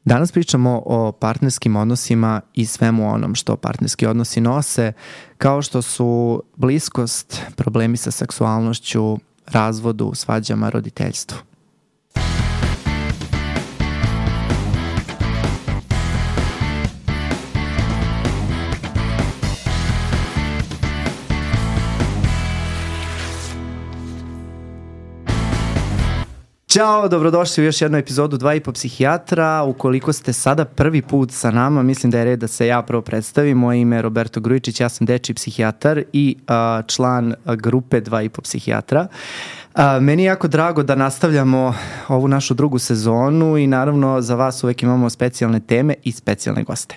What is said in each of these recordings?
Danas pričamo o partnerskim odnosima i svemu onom što partnerski odnosi nose, kao što su bliskost, problemi sa seksualnošću, razvodu, svađama, roditeljstvu. Ćao, dobrodošli u još jednu epizodu 2,5 psihijatra. Ukoliko ste sada prvi put sa nama, mislim da je red da se ja prvo predstavim. Moje ime je Roberto Grujičić, ja sam dečiji psihijatar i član grupe 2,5 psihijatra. Meni je jako drago da nastavljamo ovu našu drugu sezonu i naravno za vas uvek imamo specijalne teme i specijalne goste.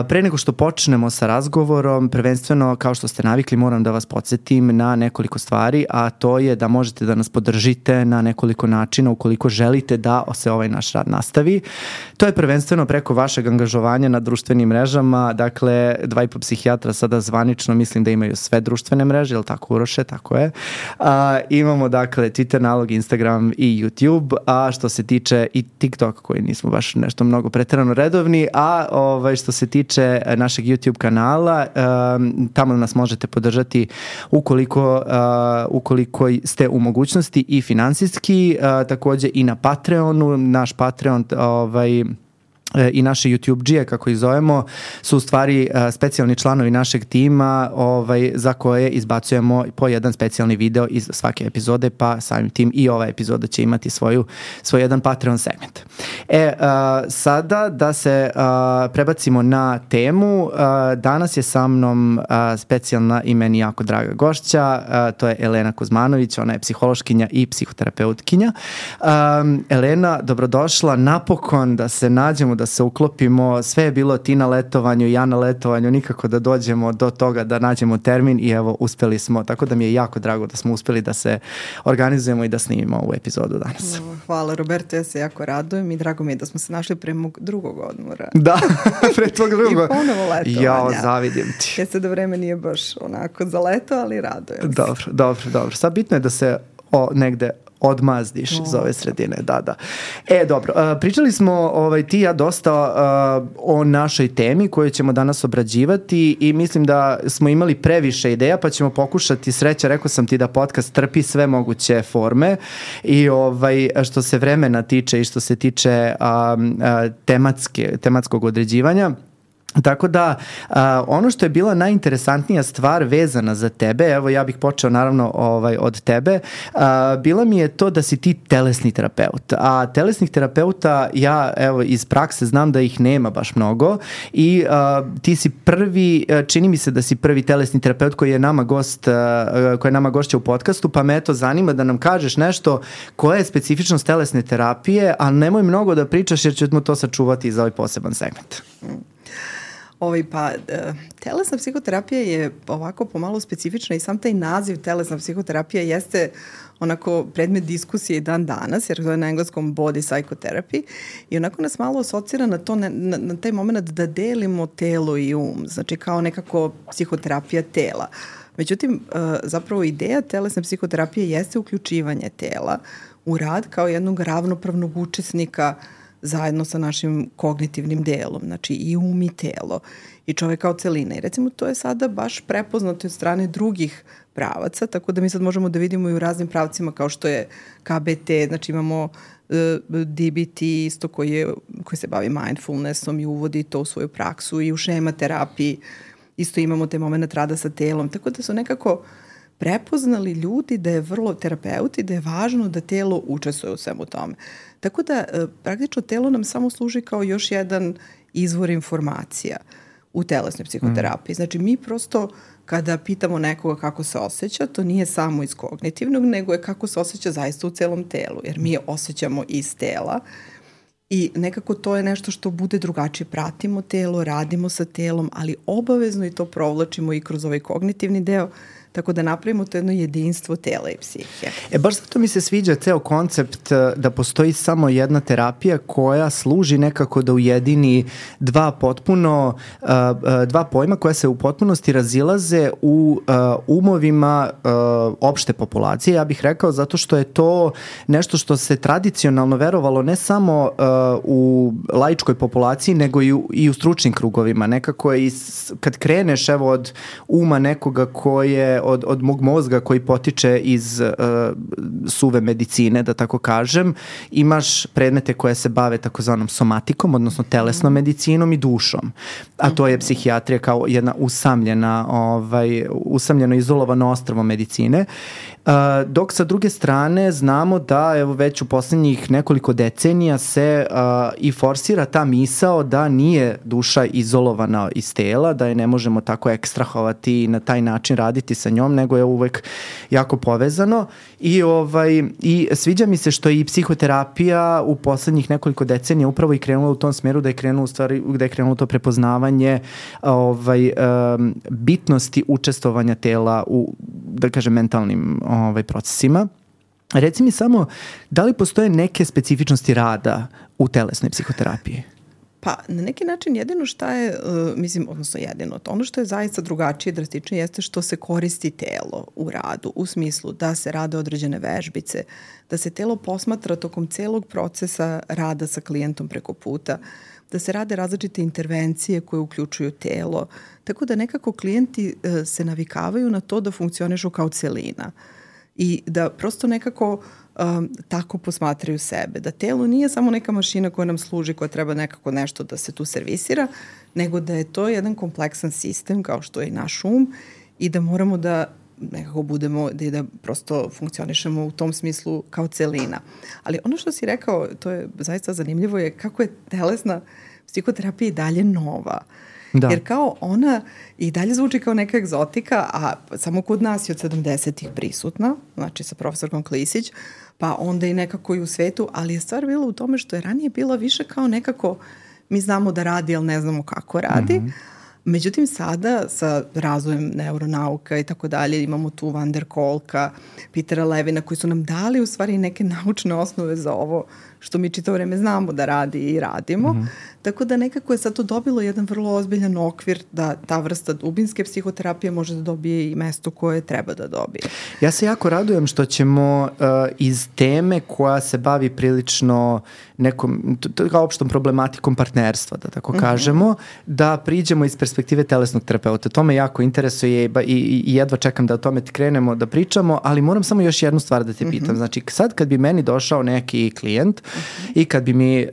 Pre nego što počnemo sa razgovorom, prvenstveno kao što ste navikli moram da vas podsjetim na nekoliko stvari, a to je da možete da nas podržite na nekoliko načina ukoliko želite da se ovaj naš rad nastavi. To je prvenstveno preko vašeg angažovanja na društvenim mrežama, dakle 2,5 psihijatra sada zvanično mislim da imaju sve društvene mreže, je li tako Uroše? Tako je. Imamo dakle Twitter nalog, Instagram i YouTube, a što se tiče i TikTok koji nismo baš nešto mnogo preterano redovni, a što se tiče našeg YouTube kanala, tamo nas možete podržati ukoliko ste u mogućnosti i finansijski, takođe i na Patreonu, naš Patreon i naše YouTube-đije, kako ih zovemo, su u stvari specijalni članovi našeg tima za koje izbacujemo po jedan specijalni video iz svake epizode, pa samim tim i ova epizoda će imati svoj jedan Patreon segment. Sada da se prebacimo na temu. Danas je sa mnom specijalna i meni jako draga gošća, to je Elena Kuzmanović, ona je psihološkinja i psihoterapeutkinja. Elena, dobrodošla, napokon da se nađemo, da se uklopimo, sve je bilo ti na letovanju, ja na letovanju, nikako da dođemo do toga da nađemo termin i evo uspeli smo, tako da mi je jako drago da smo uspeli da se organizujemo i da snimimo ovu epizodu danas. Hvala Roberto, ja se jako radujem i drago mi je da smo se našli pre mog drugog odmora. Da, pre tvog drugog. I ponovo letovanja. Jao, zavidim ti. Ja se da vreme nije baš onako za leto, ali radujem se. Dobro. Sad bitno je da se negde odmazdiš iz ove sredine, da. Dobro, pričali smo ti i ja dosta o našoj temi koju ćemo danas obrađivati i mislim da smo imali previše ideja, pa ćemo pokušati, sreća, rekao sam ti da podcast trpi sve moguće forme i što se vremena tiče i što se tiče tematskog određivanja. Tako da, ono što je bila najinteresantnija stvar vezana za tebe, evo ja bih počeo naravno od tebe, bila mi je to da si ti telesni terapeut, a telesnih terapeuta ja evo iz prakse znam da ih nema baš mnogo i ti si prvi, čini mi se da si prvi telesni terapeut koji je nama gošća u podcastu, pa me eto zanima da nam kažeš nešto koja je specifičnost telesne terapije, a nemoj mnogo da pričaš jer ćemo to sačuvati za ovaj poseban segment. Telesna psihoterapija je ovako pomalo specifična i sam taj naziv telesna psihoterapija jeste onako predmet diskusije i dan danas, jer to je na engleskom body psychotherapy i onako nas malo asocira na to, na taj moment da delimo telo i znači kao nekako psihoterapija tela. Međutim, zapravo ideja telesne psihoterapije jeste uključivanje tela u rad kao jednog ravnopravnog učesnika zajedno sa našim kognitivnim delom, znači i i telo i čovek kao celina. I recimo to je sada baš prepoznato od strane drugih pravaca, tako da mi sad možemo da vidimo i u raznim pravcima kao što je KBT, znači imamo DBT isto koji se bavi mindfulnessom i uvodi to u svoju praksu i u šema terapiji isto imamo te moment rada sa telom, tako da su nekako prepoznali ljudi da je vrlo terapeuti, da je važno da telo učestvuje u svemu tome. Tako da praktično telo nam samo služi kao još jedan izvor informacija u telesnoj psihoterapiji. Znači mi prosto kada pitamo nekoga kako se osjeća, to nije samo iz kognitivnog, nego je kako se osjeća zaista u celom telu, jer mi je osjećamo iz tela i nekako to je nešto što bude drugačije. Pratimo telo, radimo sa telom, ali obavezno i to provlačimo i kroz ovaj kognitivni deo. tako da napravimo to jedno jedinstvo tela i psihe. Baš zato mi se sviđa ceo koncept da postoji samo jedna terapija koja služi nekako da ujedini dva pojma koja se u potpunosti razilaze u umovima opšte populacije. Ja bih rekao zato što je to nešto što se tradicionalno verovalo ne samo u laičkoj populaciji, nego i u stručnim krugovima. Nekako kad kreneš od uma nekoga od mog mozga koji potiče iz suve medicine, da tako kažem, imaš predmete koje se bave takozvanom somatikom, odnosno telesnom medicinom i dušom. A to je psihijatrija kao jedna usamljeno izolovano ostrvo medicine. Dok sa druge strane znamo da evo već u poslednjih nekoliko decenija se i forsira ta misao da nije duša izolovana iz tela, da je ne možemo tako ekstrahovati i na taj način raditi sa njom, nego je uvek jako povezano i sviđa mi se što i psihoterapija u poslednjih nekoliko decenija upravo i krenula u tom smeru, da je krenulo to prepoznavanje bitnosti učestvovanja tela u, da kažem, mentalnim procesima. Reci mi samo, da li postoje neke specifičnosti rada u telesnoj psihoterapiji? Pa, na neki način jedino šta je, ono što je zaista drugačije, drastičnije, jeste što se koristi telo u radu, u smislu da se rade određene vežbice, da se telo posmatra tokom celog procesa rada sa klijentom preko puta, da se rade različite intervencije koje uključuju telo, tako da nekako klijenti se navikavaju na to da funkcionišu kao celina i da prosto nekako tako posmatraju sebe, da telo nije samo neka mašina koja nam služi, koja treba nekako nešto da se tu servisira, nego da je to jedan kompleksan sistem kao što je i naš i da moramo da nekako budemo, da prosto funkcionišemo u tom smislu kao celina. Ali ono što si rekao, to je zaista zanimljivo, je kako je telesna psihoterapija i dalje nova. Da. Jer kao ona i dalje zvuči kao neka egzotika, a samo kod nas je od 70-ih prisutna, znači sa profesorkom Klisić, pa onda i nekako i u svetu, ali je stvar bila u tome što je ranije bila više kao nekako mi znamo da radi, ali ne znamo kako radi. Međutim, sada sa razvojem neuronauka i tako dalje, imamo tu Van der Kolka, Petera Levina, koji su nam dali u stvari neke naučne osnove za ovo što mi čitavo vreme znamo da radi i radimo. Tako da nekako je sad to dobilo jedan vrlo ozbiljan okvir da ta vrsta dubinske psihoterapije može da dobije i mesto koje treba da dobije. Ja se jako radujem što ćemo iz teme koja se bavi prilično nekom, kao opštom problematikom partnerstva, da tako kažemo, da priđemo iz perspektive telesnog terapeuta. To me jako interesuje i jedva čekam da o tome krenemo da pričamo, ali moram samo još jednu stvar da te pitam. Znači, sad kad bi meni došao neki klijent i kad bi mi,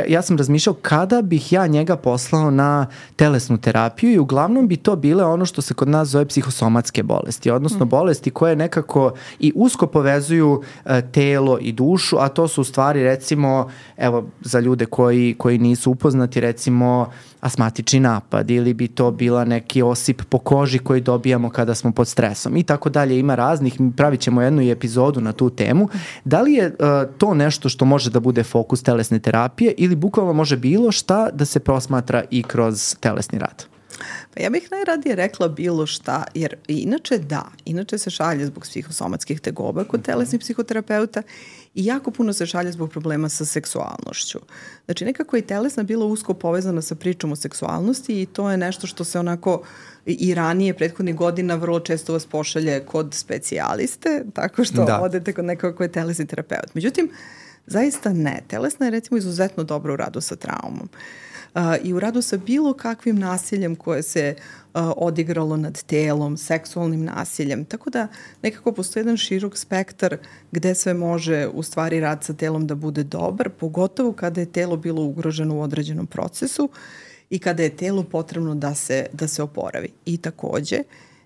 ja sam razmišljao kada bih ja njega poslao na telesnu terapiju i uglavnom bi to bile ono što se kod nas zove psihosomatske bolesti, odnosno bolesti koje nekako i usko povezuju telo i dušu, a to su u stvari recimo, evo za ljude koji nisu upoznati, recimo astmatični napad ili bi to bila neki osip po koži koji dobijamo kada smo pod stresom i tako dalje. Ima raznih, pravit ćemo jednu epizodu na tu temu. Da li je to nešto što može da bude fokus telesne terapije ili bukvalno može bilo šta da se prosmatra i kroz telesni rad? Pa ja bih najradije rekla bilo šta, jer inače se šalje zbog psihosomatskih tegoba kod telesnih psihoterapeuta i jako puno se šalje zbog problema sa seksualnošću. Znači nekako je telesna bila usko povezana sa pričom o seksualnosti i to je nešto što se onako i ranije prethodnih godina vrlo često vas pošalje kod specijaliste, tako što odete kod nekoga ko je telesni terapeut. Međutim, zaista ne. Telesna je recimo izuzetno dobro u radu sa traumom. I u radu sa bilo kakvim nasiljem koje se odigralo nad telom, seksualnim nasiljem. Tako da nekako postoji jedan širok spektar gde sve može u stvari rad sa telom da bude dobar, pogotovo kada je telo bilo ugroženo u određenom procesu i kada je telo potrebno da se oporavi. I takođe,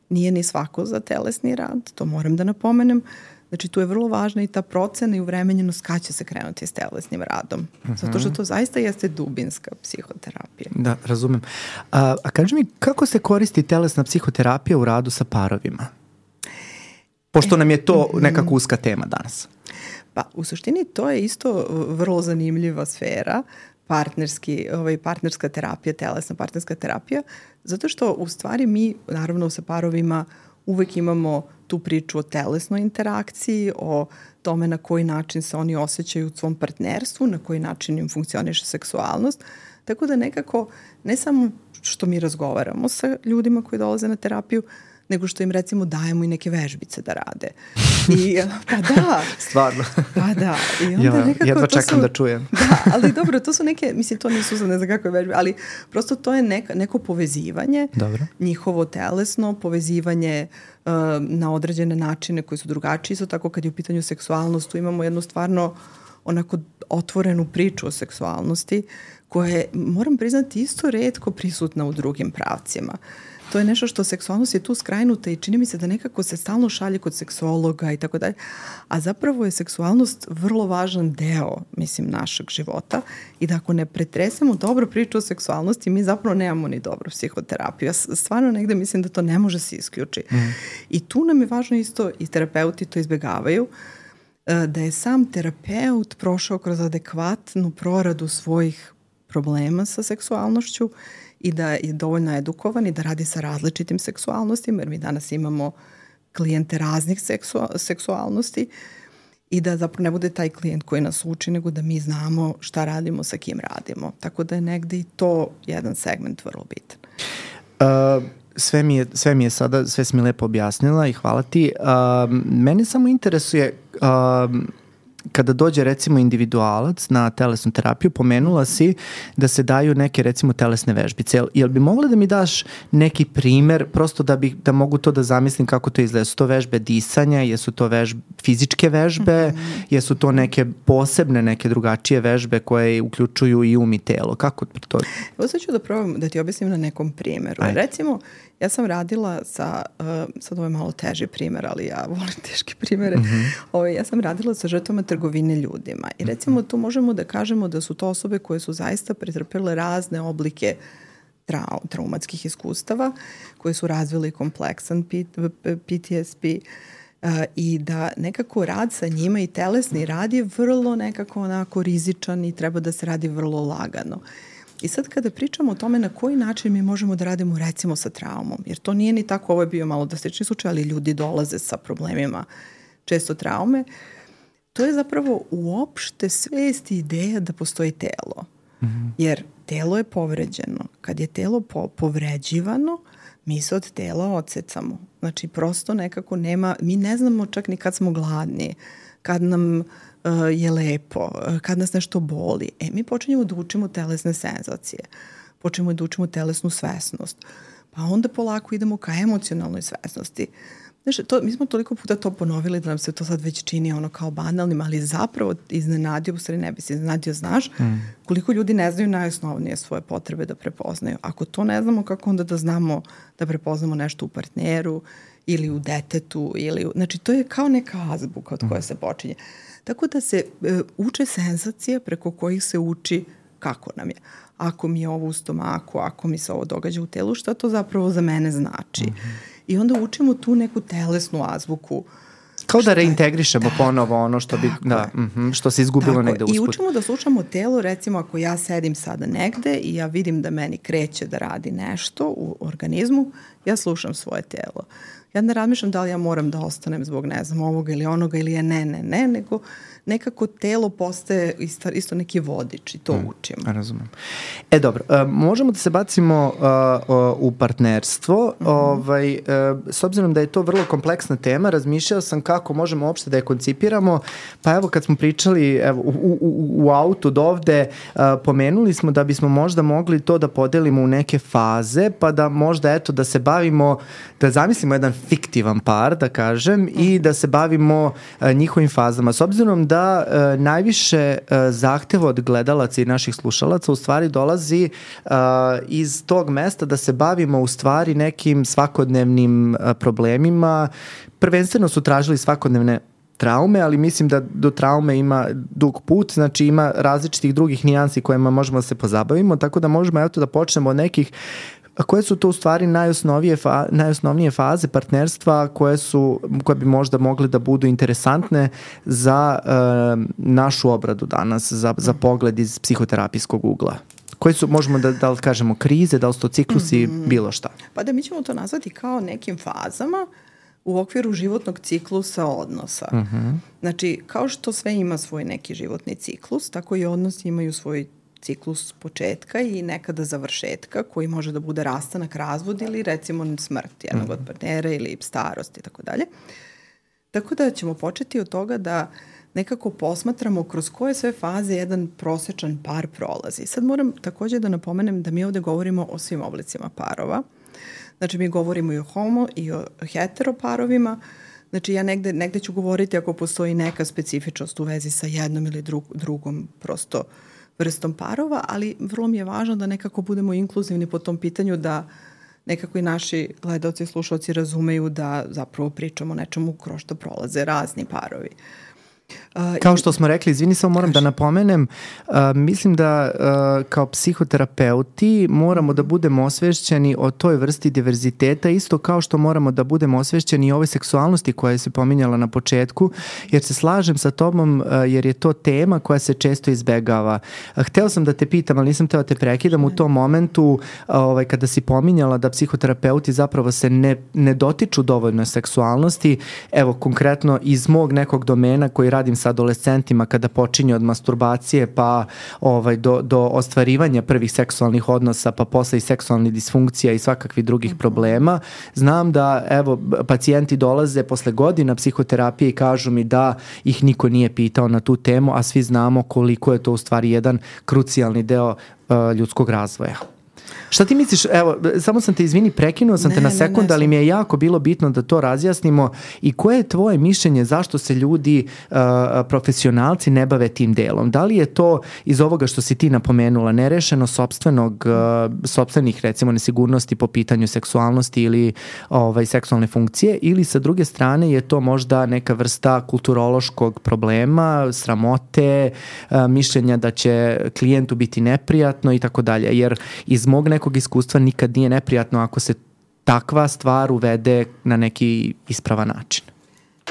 nije ni svako za telesni rad, to moram da napomenem. Znači, tu je vrlo važna i ta procena i uvremenjenost kada će se krenuti s telesnim radom. Zato što to zaista jeste dubinska psihoterapija. Da, razumem. A kaži mi, kako se koristi telesna psihoterapija u radu sa parovima? Pošto nam je to nekako uska tema danas. Pa, u suštini to je isto vrlo zanimljiva sfera, partnerska terapija, telesna partnerska terapija, zato što u stvari mi, naravno sa parovima, uvek imamo tu priču o telesnoj interakciji, o tome na koji način se oni osjećaju u svom partnerstvu, na koji način im funkcioniše seksualnost. Tako da nekako, ne samo što mi razgovaramo sa ljudima koji dolaze na terapiju, nego što im recimo dajemo i neke vežbice da rade. Pa da. Stvarno. Pa da. I onda nekako jedva čekam da čujem. Da, ali dobro, to su neke, mislim, to nisu za ne znam kakve vežbe, ali prosto to je neko povezivanje, njihovo telesno, povezivanje na određene načine koji su drugačiji. Isto tako kad je u pitanju seksualnost, tu imamo jednu stvarno onako otvorenu priču o seksualnosti koja je, moram priznati, isto retko prisutna u drugim pravcima. To je nešto što seksualnost je tu skrajnuta i čini mi se da nekako se stalno šalje kod seksologa i tako dalje. A zapravo je seksualnost vrlo važan deo, mislim, našeg života i da ako ne pretresemo dobro priču o seksualnosti, mi zapravo nemamo ni dobru psihoterapiju. Ja stvarno negde mislim da to ne može se isključiti. I tu nam je važno isto, i terapeuti to izbjegavaju, da je sam terapeut prošao kroz adekvatnu proradu svojih problema sa seksualnošću i da je dovoljno edukovan i da radi sa različitim seksualnostima, jer mi danas imamo klijente raznih seksualnosti i da zapravo ne bude taj klijent koji nas uči, nego da mi znamo šta radimo, sa kim radimo. Tako da je negde i to jedan segment vrlo bitan. Sve mi je sada, sve si mi lepo objasnila i hvala ti. Mene samo interesuje, kada dođe recimo individualac na telesnu terapiju, pomenula si da se daju neke recimo telesne vežbice. Jel bi mogla da mi daš neki primer, prosto da mogu to da zamislim kako to izgleda? Jesu to vežbe disanja, jesu to fizičke vežbe, jesu to neke posebne, neke drugačije vežbe koje uključuju i um i telo? Kako to? Evo sad ću da probam da ti objasnim na nekom primjeru. Ajde. Recimo, ja sam radila sa, sad ovo je malo teži primjer, ali ja volim teške primjere, ja sam radila sa žrtvama trgovine ljudima i recimo tu možemo da kažemo da su to osobe koje su zaista pretrpele razne oblike traumatskih iskustava, koje su razvili kompleksan PTSD i da nekako rad sa njima i telesni rad je vrlo nekako onako rizičan i treba da se radi vrlo lagano. I sad kada pričamo o tome na koji način mi možemo da radimo recimo sa traumom, jer to nije ni tako, ovo je bio malo drastični slučaj, ali ljudi dolaze sa problemima često traume, to je zapravo uopšte svest i ideja da postoji telo. Jer telo je povređeno. Kad je telo povređivano, mi se od tela odsecamo. Znači prosto nekako nema, mi ne znamo čak ni kad smo gladni, kad nam je lepo, kad nas nešto boli. Mi počinjemo da učimo telesne senzacije, počinjemo da učimo telesnu svesnost, pa onda polako idemo ka emocionalnoj svesnosti. Znači, mi smo toliko puta to ponovili da nam se to sad već čini ono kao banalnim, ali zapravo iznenadio, u stvari ne bi se iznenadio, znaš, koliko ljudi ne znaju najosnovnije svoje potrebe da prepoznaju. Ako to ne znamo, kako onda da znamo da prepoznamo nešto u partneru ili u detetu, znači to je kao neka azbuka od koje se počinje. Tako da se uče senzacije preko kojih se uči kako nam je. Ako mi je ovo u stomaku, ako mi se ovo događa u telu, šta to zapravo za mene znači. I onda učimo tu neku telesnu azbuku. Kao da reintegrišemo ponovo ono što bi, što se izgubilo negde usput. I učimo da slušamo telo, recimo ako ja sedim sada negde i ja vidim da meni kreće da radi nešto u organizmu, ja slušam svoje telo. Ja ne razmišljam da li ja moram da ostanem zbog ne znam ovoga ili onoga ili je ne, nego nekako telo postaje isto neki vodič i to učimo. Razumem. Dobro, možemo da se bacimo u partnerstvo. S obzirom da je to vrlo kompleksna tema, razmišljao sam kako možemo uopšte da je koncipiramo. Pa evo kad smo pričali u autu do ovde, pomenuli smo da bismo možda mogli to da podelimo u neke faze, pa da možda da se bavimo, da zamislimo jedan fiktivan par, da kažem, i da se bavimo njihovim fazama. S obzirom da najviše zahteva od gledalaca i naših slušalaca u stvari dolazi iz tog mesta da se bavimo u stvari nekim svakodnevnim problemima. Prvenstveno su tražili svakodnevne traume, ali mislim da do traume ima dug put, znači ima različitih drugih nijansi kojima možemo da se pozabavimo, tako da možemo da počnemo od nekih. A koje su to u stvari najosnovnije faze partnerstva koje bi možda mogle da budu interesantne za našu obradu danas, za pogled iz psihoterapijskog ugla? Koje su, možemo da li kažemo krize, da li su to ciklusi, bilo šta? Pa da mi ćemo to nazvati kao nekim fazama u okviru životnog ciklusa odnosa. Znači, kao što sve ima svoj neki životni ciklus, tako i odnosi imaju svoj ciklus početka i nekada završetka koji može da bude rastanak, razvod ili recimo smrt jednog od partnera ili starost i tako dalje. Tako da ćemo početi od toga da nekako posmatramo kroz koje sve faze jedan prosečan par prolazi. Sad moram također da napomenem da mi ovde govorimo o svim oblicima parova. Znači mi govorimo i o homo i o hetero parovima. Znači ja negde ću govoriti ako postoji neka specifičnost u vezi sa jednom ili drugom prosto vrstom parova, ali vrlo mi je važno da nekako budemo inkluzivni po tom pitanju, da nekako i naši gledalci i slušalci razumeju da zapravo pričamo o nečemu kroz što prolaze razni parovi. Kao što smo rekli, izvini, samo moram da napomenem, mislim da kao psihoterapeuti moramo da budemo osvešćeni o toj vrsti diverziteta, isto kao što moramo da budemo osvešćeni i ovoj seksualnosti koja se pominjala na početku, jer se slažem sa tobom, jer je to tema koja se često izbegava. Hteo sam da te pitam, ali nisam hteo da te prekidam u tom momentu kada si pominjala da psihoterapeuti zapravo se ne dotiču dovoljno seksualnosti. Evo, konkretno iz mog nekog domena koji radim sa adolescentima, kada počinje od masturbacije pa do ostvarivanja prvih seksualnih odnosa, pa posle i seksualnih disfunkcija i svakakvih drugih problema. Znam da pacijenti dolaze posle godina psihoterapije i kažu mi da ih niko nije pitao na tu temu, a svi znamo koliko je to u stvari jedan krucijalni deo ljudskog razvoja. Šta ti misliš, evo, samo sam te, izvini, prekinuo sam te na sekund, ali mi je jako bilo bitno da to razjasnimo i koje je tvoje mišljenje zašto se ljudi, profesionalci ne bave tim delom? Da li je to iz ovoga što si ti napomenula, nerešeno sopstvenih recimo nesigurnosti po pitanju seksualnosti ili seksualne funkcije, ili sa druge strane je to možda neka vrsta kulturološkog problema, sramote, mišljenja da će klijentu biti neprijatno i tako dalje, jer iz mog nekog iskustva nikad nije neprijatno ako se takva stvar uvede na neki ispravan način.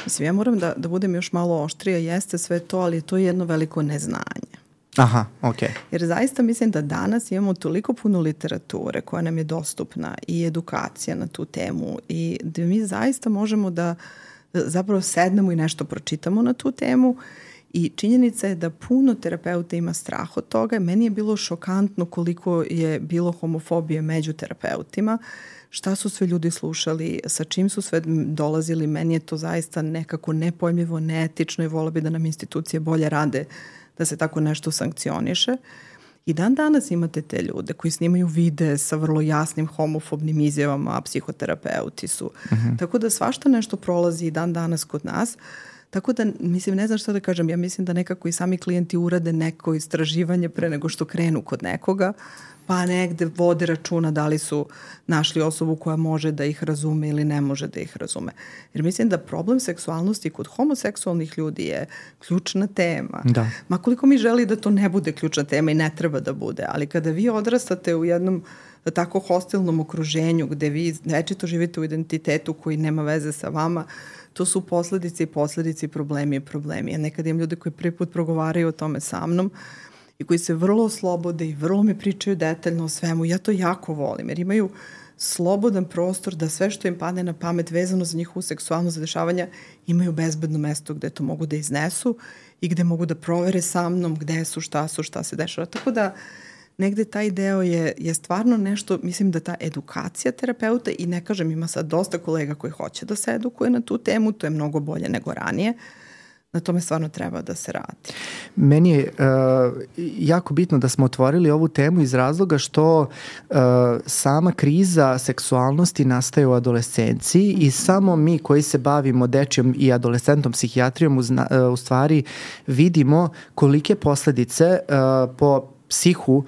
Mislim, ja moram da budem još malo oštrija, jeste sve to, ali to je jedno veliko neznanje. Aha, okej. Jer zaista mislim da danas imamo toliko puno literature koja nam je dostupna i edukacija na tu temu i da mi zaista možemo da zapravo sednemo i nešto pročitamo na tu temu. I činjenica je da puno terapeuta ima strah od toga. Meni je bilo šokantno koliko je bilo homofobije među terapeutima, šta su sve ljudi slušali, sa čim su sve dolazili. Meni je to zaista nekako nepojmljivo, neetično i volio bi da nam institucije bolje rade da se tako nešto sankcioniše. I dan danas imate te ljude koji snimaju videe sa vrlo jasnim homofobnim izjavama, a psihoterapeuti su. Tako da svašta nešto prolazi i dan danas kod nas. Tako da, mislim, ne znam što da kažem, ja mislim da nekako i sami klijenti urade neko istraživanje pre nego što krenu kod nekoga, pa negde vode računa da li su našli osobu koja može da ih razume ili ne može da ih razume. Jer mislim da problem seksualnosti kod homoseksualnih ljudi je ključna tema. Da. Ma koliko mi želi da to ne bude ključna tema i ne treba da bude, ali kada vi odrastate u jednom tako hostilnom okruženju gde vi večito živite u identitetu koji nema veze sa vama, to su posledice, problemi. Ja nekad imam ljude koji prvi put progovaraju o tome sa mnom i koji se vrlo slobode i vrlo mi pričaju detaljno o svemu. Ja to jako volim jer imaju slobodan prostor da sve što im padne na pamet vezano za njihovu seksualno zadešavanja imaju bezbedno mesto gde to mogu da iznesu i gde mogu da provere sa mnom gde su, šta se dešava. Tako da negde taj deo je stvarno nešto, mislim da ta edukacija terapeuta, i ne kažem, ima sad dosta kolega koji hoće da se edukuje na tu temu, to je mnogo bolje nego ranije, na tome stvarno treba da se radi. Meni je jako bitno da smo otvorili ovu temu iz razloga što sama kriza seksualnosti nastaje u adolescenciji i samo mi koji se bavimo dečjom i adolescentnom psihijatrijom u stvari vidimo kolike posledice po psihu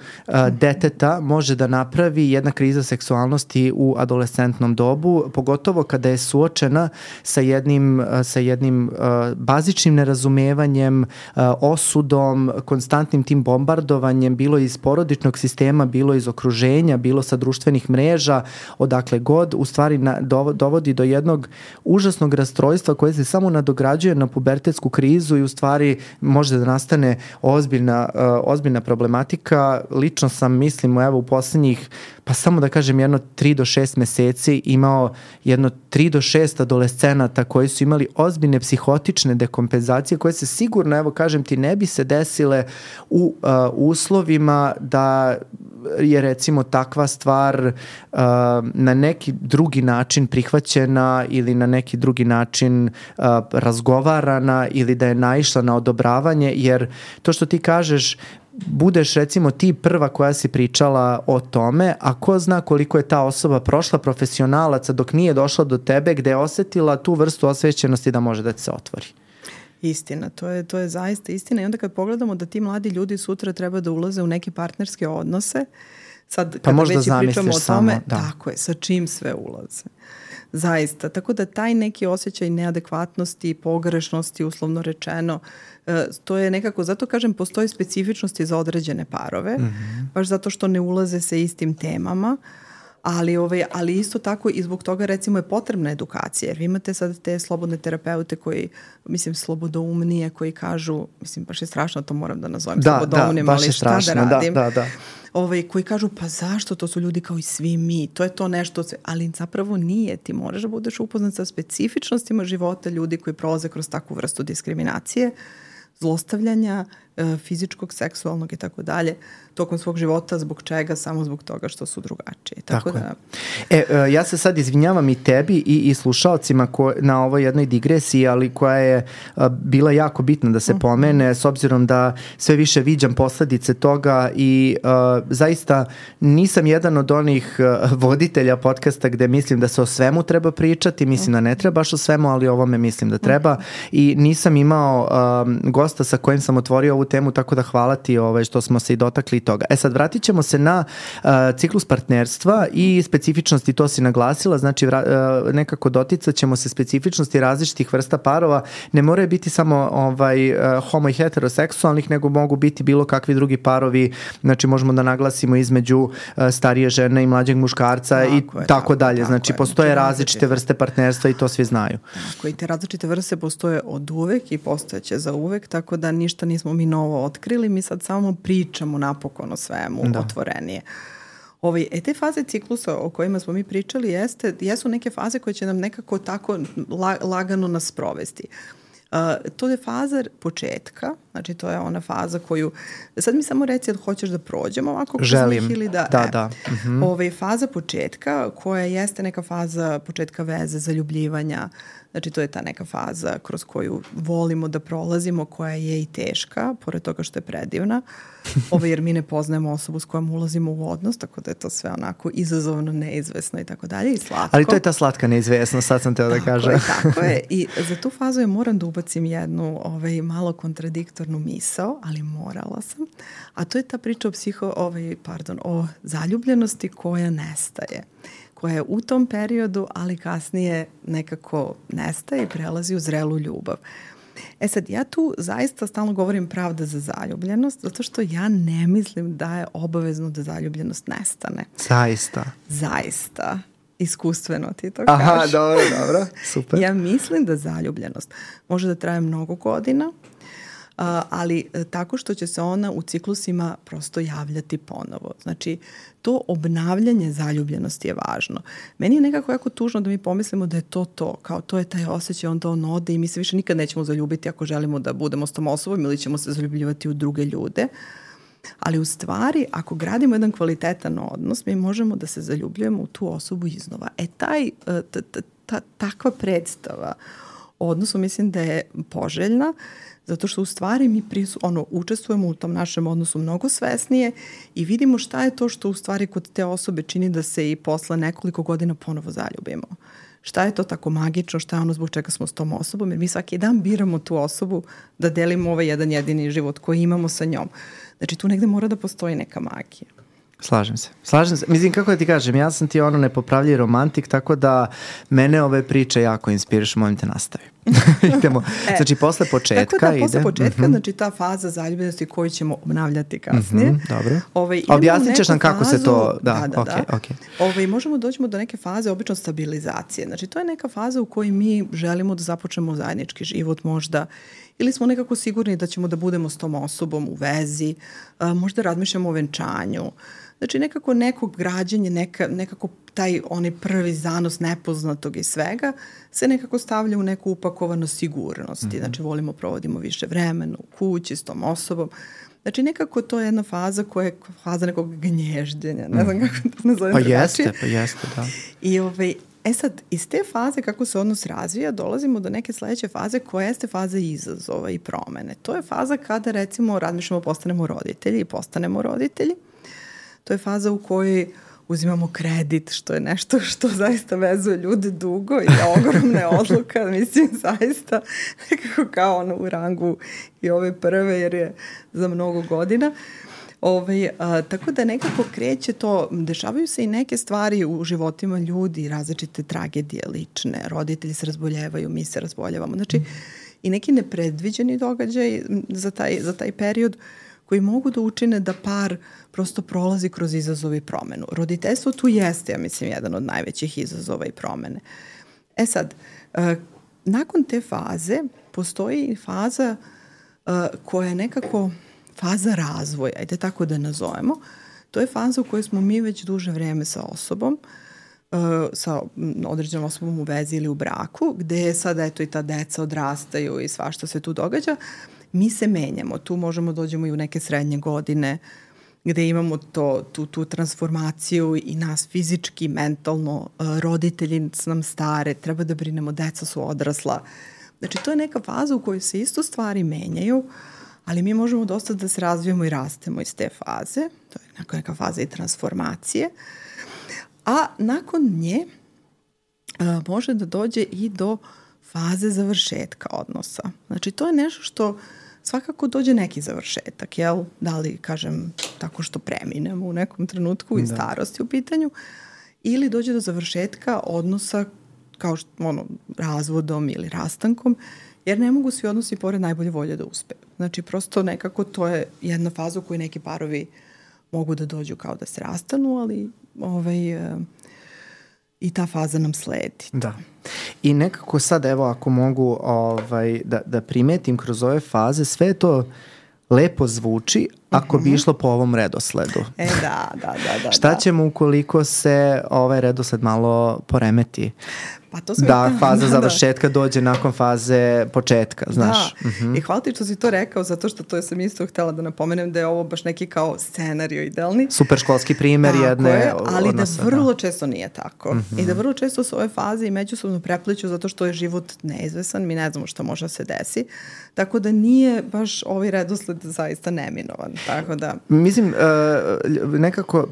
deteta može da napravi jedna kriza seksualnosti u adolescentnom dobu, pogotovo kada je suočena sa jednim bazičnim nerazumevanjem, osudom, konstantnim tim bombardovanjem, bilo iz porodičnog sistema, bilo iz okruženja, bilo sa društvenih mreža, odakle god, u stvari dovodi do jednog užasnog rastrojstva koje se samo nadograđuje na pubertetsku krizu i u stvari može da nastane ozbiljna problematika problematika. Lično sam, mislim, evo u poslednjih, pa samo da kažem, 3 do 6 meseci imao 3 do 6 adolescenata koji su imali ozbiljne psihotične dekompenzacije koje se sigurno, evo kažem ti, ne bi se desile u uslovima da je recimo takva stvar na neki drugi način prihvaćena ili na neki drugi način razgovarana ili da je naišla na odobravanje, jer to što ti kažeš, budeš recimo ti prva koja si pričala o tome, a ko zna koliko je ta osoba prošla profesionalaca dok nije došla do tebe gde je osetila tu vrstu osvećenosti da može da ti se otvori. Istina, to je zaista istina i onda kad pogledamo da ti mladi ljudi sutra treba da ulaze u neke partnerske odnose, sad kada već i pričamo o tome, tako je, sa čim sve ulaze. Zaista, tako da taj neki osjećaj neadekvatnosti, pogrešnosti, uslovno rečeno, to je nekako, zato kažem, postoje specifičnosti za određene parove, baš zato što ne ulaze sa istim temama, ali isto tako i zbog toga recimo je potrebna edukacija, jer vi imate sad te slobodne terapeute koji, mislim, slobodoumnije, koji kažu, mislim, baš je strašno, to moram da nazovem slobodoumnim, ali šta da radim. Koji kažu, pa zašto, to su ljudi kao i svi mi, to je to nešto, ali zapravo nije, ti moraš da budeš upoznat sa specifičnostima života ljudi koji prolaze kroz takvu vrstu diskriminacije, zlostavljanja, fizičkog, seksualnog i tako dalje, tokom svog života, zbog čega? Samo zbog toga što su drugačiji. Tako da... Ja se sad izvinjavam i tebi i slušalcima na ovoj jednoj digresiji, ali koja je bila jako bitna da se pomene, s obzirom da sve više viđam posledice toga i zaista nisam jedan od onih voditelja podcasta gde mislim da se o svemu treba pričati, mislim da ne treba baš o svemu, ali o ovome mislim da treba i nisam imao gosta sa kojim sam otvorio ovu temu, tako da hvala ti što smo se i dotakli toga. Sad vratit ćemo se na ciklus partnerstva i specifičnosti, to si naglasila, znači nekako doticat ćemo se specifičnosti različitih vrsta parova, ne moraju biti samo homo i heteroseksualnih, nego mogu biti bilo kakvi drugi parovi, znači možemo da naglasimo između starije žene i mlađeg muškarca i tako dalje, znači postoje različite vrste partnerstva i to svi znaju. Tako, i te različite vrste postoje od uvek i postojeće za uvek, tako da ništa nismo mi novo otkrili, mi sad samo pričamo napokon o svemu otvorenije. Te faze ciklusa o kojima smo mi pričali jesu neke faze koje će nam nekako tako lagano nas sprovesti. To je faza početka, znači to je ona faza koju, sad mi samo reci da hoćeš da prođemo ovako kroz njih ili da. Faza početka koja jeste neka faza početka veze, zaljubljivanja, znači to je ta neka faza kroz koju volimo da prolazimo, koja je i teška, pored toga što je predivna, jer mi ne poznajemo osobu s kojom ulazimo u odnos, tako da je to sve onako izazovno, neizvesno i tako dalje i slatko. Ali to je ta slatka neizvesnost, sad sam teo da kažem. Tako je, i za tu fazu je moram da ubacim jednu malo kontradiktornu misao, ali morala sam, a to je ta priča o zaljubljenosti koja nestaje, koja je u tom periodu, ali kasnije nekako nestaje i prelazi u zrelu ljubav. Sad, ja tu zaista stalno govorim pravda za zaljubljenost, zato što ja ne mislim da je obavezno da zaljubljenost nestane. Zaista. Iskustveno ti to kažeš. Aha, dobro, super. Ja mislim da zaljubljenost može da traje mnogo godina, ali tako što će se ona u ciklusima prosto javljati ponovo. Znači, to obnavljanje zaljubljenosti je važno. Meni je nekako jako tužno da mi pomislimo da je to, kao to je taj osjećaj, onda on ode i mi se više nikad nećemo zaljubiti ako želimo da budemo s tom osobom ili ćemo se zaljubljivati u druge ljude. Ali u stvari, ako gradimo jedan kvalitetan odnos, mi možemo da se zaljubljujemo u tu osobu iznova. Takva predstava odnosu mislim da je poželjna, zato što u stvari mi učestvujemo u tom našem odnosu mnogo svesnije i vidimo šta je to što u stvari kod te osobe čini da se i posle nekoliko godina ponovo zaljubimo. Šta je to tako magično, šta je ono zbog čega smo s tom osobom, jer mi svaki dan biramo tu osobu da delimo ovaj jedan jedini život koji imamo sa njom. Znači tu negde mora da postoji neka magija. Slažem se. Mislim, kako da ti kažem, ja sam ti nepopravljiv romantik, tako da mene ove priče jako inspirišu, molim te nastavi. Idemo. Znači, posle početka tako da, posle početka, znači ta faza zaljubljenosti koju ćemo obnavljati kasnije. Dobro. Objasnit ćeš nam kako se to... Možemo doći do neke faze, obično stabilizacije. Znači, to je neka faza u kojoj mi želimo da započnemo zajednički život možda, ili smo nekako sigurni da ćemo da budemo s tom osobom u vezi, možda razmišljamo o venčanju. Znači nekako neko građenje, nekako taj onaj prvi zanos nepoznatog i svega se nekako stavlja u neku upakovanost sigurnosti. Znači volimo provodimo više vremena u kući s tom osobom. Znači nekako to je jedna faza koja je faza nekog gnježđenja. Ne znam kako to nazovem. Pa jeste, da. I sad, iz te faze kako se odnos razvija, dolazimo do neke sledeće faze koja jeste faza izazova i promene. To je faza kada recimo razmišljamo postanemo roditelji i postanemo roditelji. To je faza u kojoj uzimamo kredit, što je nešto što zaista vezuje ljude dugo i ogromne odluka, mislim zaista nekako kao ono u rangu i ove prve jer je za mnogo godina. Tako da nekako kreće to, dešavaju se i neke stvari u životima ljudi, različite tragedije lične, roditelji se razboljevaju, mi se razboljevamo. Znači i neki nepredviđeni događaj za taj period koji mogu da učine da par prosto prolazi kroz izazove i promenu. Roditeljstvo tu jeste, ja mislim, jedan od najvećih izazova i promene. Sad, nakon te faze postoji faza koja je nekako faza razvoja, ajde tako da nazovemo. To je faza u kojoj smo mi već duže vreme sa osobom, sa određenom osobom u vezi ili u braku, gde je sad eto i ta deca odrastaju i svašta se tu događa. Mi se menjamo, tu možemo dođemo i u neke srednje godine gde imamo tu transformaciju i nas fizički, mentalno, roditelji nam stare, treba da brinemo, deca su odrasla. Znači to je neka faza u kojoj se isto stvari menjaju, ali mi možemo dosta da se razvijemo i rastemo iz te faze. To je neka faza i transformacije. A nakon nje može da dođe i do faze završetka odnosa. Znači to je nešto što svakako dođe neki završetak, jel? Da li, kažem, tako što preminemo u nekom trenutku i starosti u pitanju, ili dođe do završetka odnosa kao što, razvodom ili rastankom, jer ne mogu svi odnosi pored najbolje volje da uspeju. Znači, prosto nekako to je jedna faza u kojoj neki parovi mogu da dođu kao da se rastanu, ali i ta faza nam sledi. Da. I nekako sad, evo, ako mogu da primetim kroz ove faze, sve to lepo zvuči ako bi išlo po ovom redosledu. Da. Šta ćemo ukoliko se ovaj redosled malo poremeti? Pa to faza završetka dođe nakon faze početka, znaš. I hvala ti što si to rekao, zato što to sam isto htjela da napomenem da je ovo baš neki kao scenario idealni. Super školski primjer jedne ali odnosa, da vrlo često nije tako. I da vrlo često su ove faze i međusobno prepliću zato što je život neizvesan, mi ne znamo šta može da se desi. Tako da nije baš ovaj redosled zaista neminovan. Tako da... Mislim, nekako,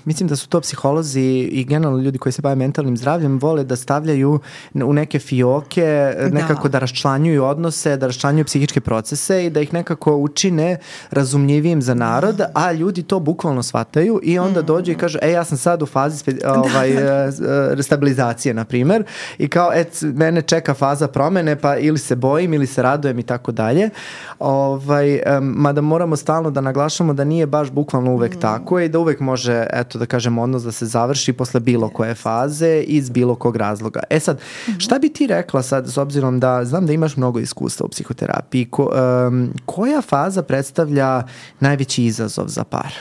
mislim da su to psiholozi i generalno ljudi koji se bave mentalnim zdravljem vole da stavljaju u neke fioke, nekako da raščlanjuju odnose, da raščlanjuju psihičke procese i da ih nekako učine razumljivijim za narod, a ljudi to bukvalno shvataju i onda dođu i kažu, ja sam sad u fazi stabilizacije, na primjer, i kao, mene čeka faza promene, pa ili se bojim ili se radujem i tako dalje. Mada moramo stalno da naglašamo da nije baš bukvalno uvek tako i da uvek može, da kažem, odnos da se završi posle bilo koje faze iz bilo kog razloga. Sad, šta bi ti rekla sad, s obzirom da znam da imaš mnogo iskustva u psihoterapiji, koja faza predstavlja najveći izazov za par?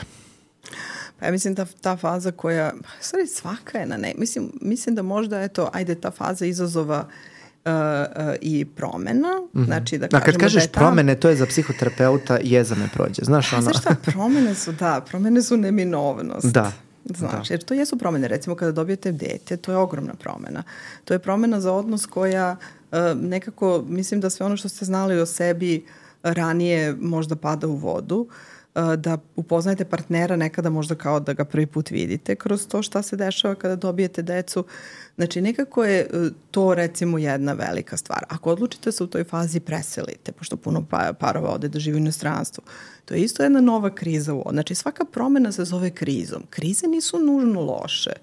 Pa ja mislim da ta faza koja, stvari svaka je na ne, mislim da možda ta faza izazova i promena, znači da kažemo kad kažeš promene, to je za psihoterapeuta jezame prođe, znaš ono? Znaš šta, promene su neminovnost. Znaš, jer to jesu promene. Recimo kada dobijete dete, to je ogromna promena. To je promena za odnos koja nekako, mislim da sve ono što ste znali o sebi ranije možda pada u vodu, da upoznajete partnera nekada možda kao da ga prvi put vidite kroz to šta se dešava kada dobijete decu. Znači nekako je to recimo jedna velika stvar. Ako odlučite se u toj fazi preselite, pošto puno parova ode da živi u inostranstvu, to je isto jedna nova kriza. Znači svaka promena se zove krizom. Krize nisu nužno loše,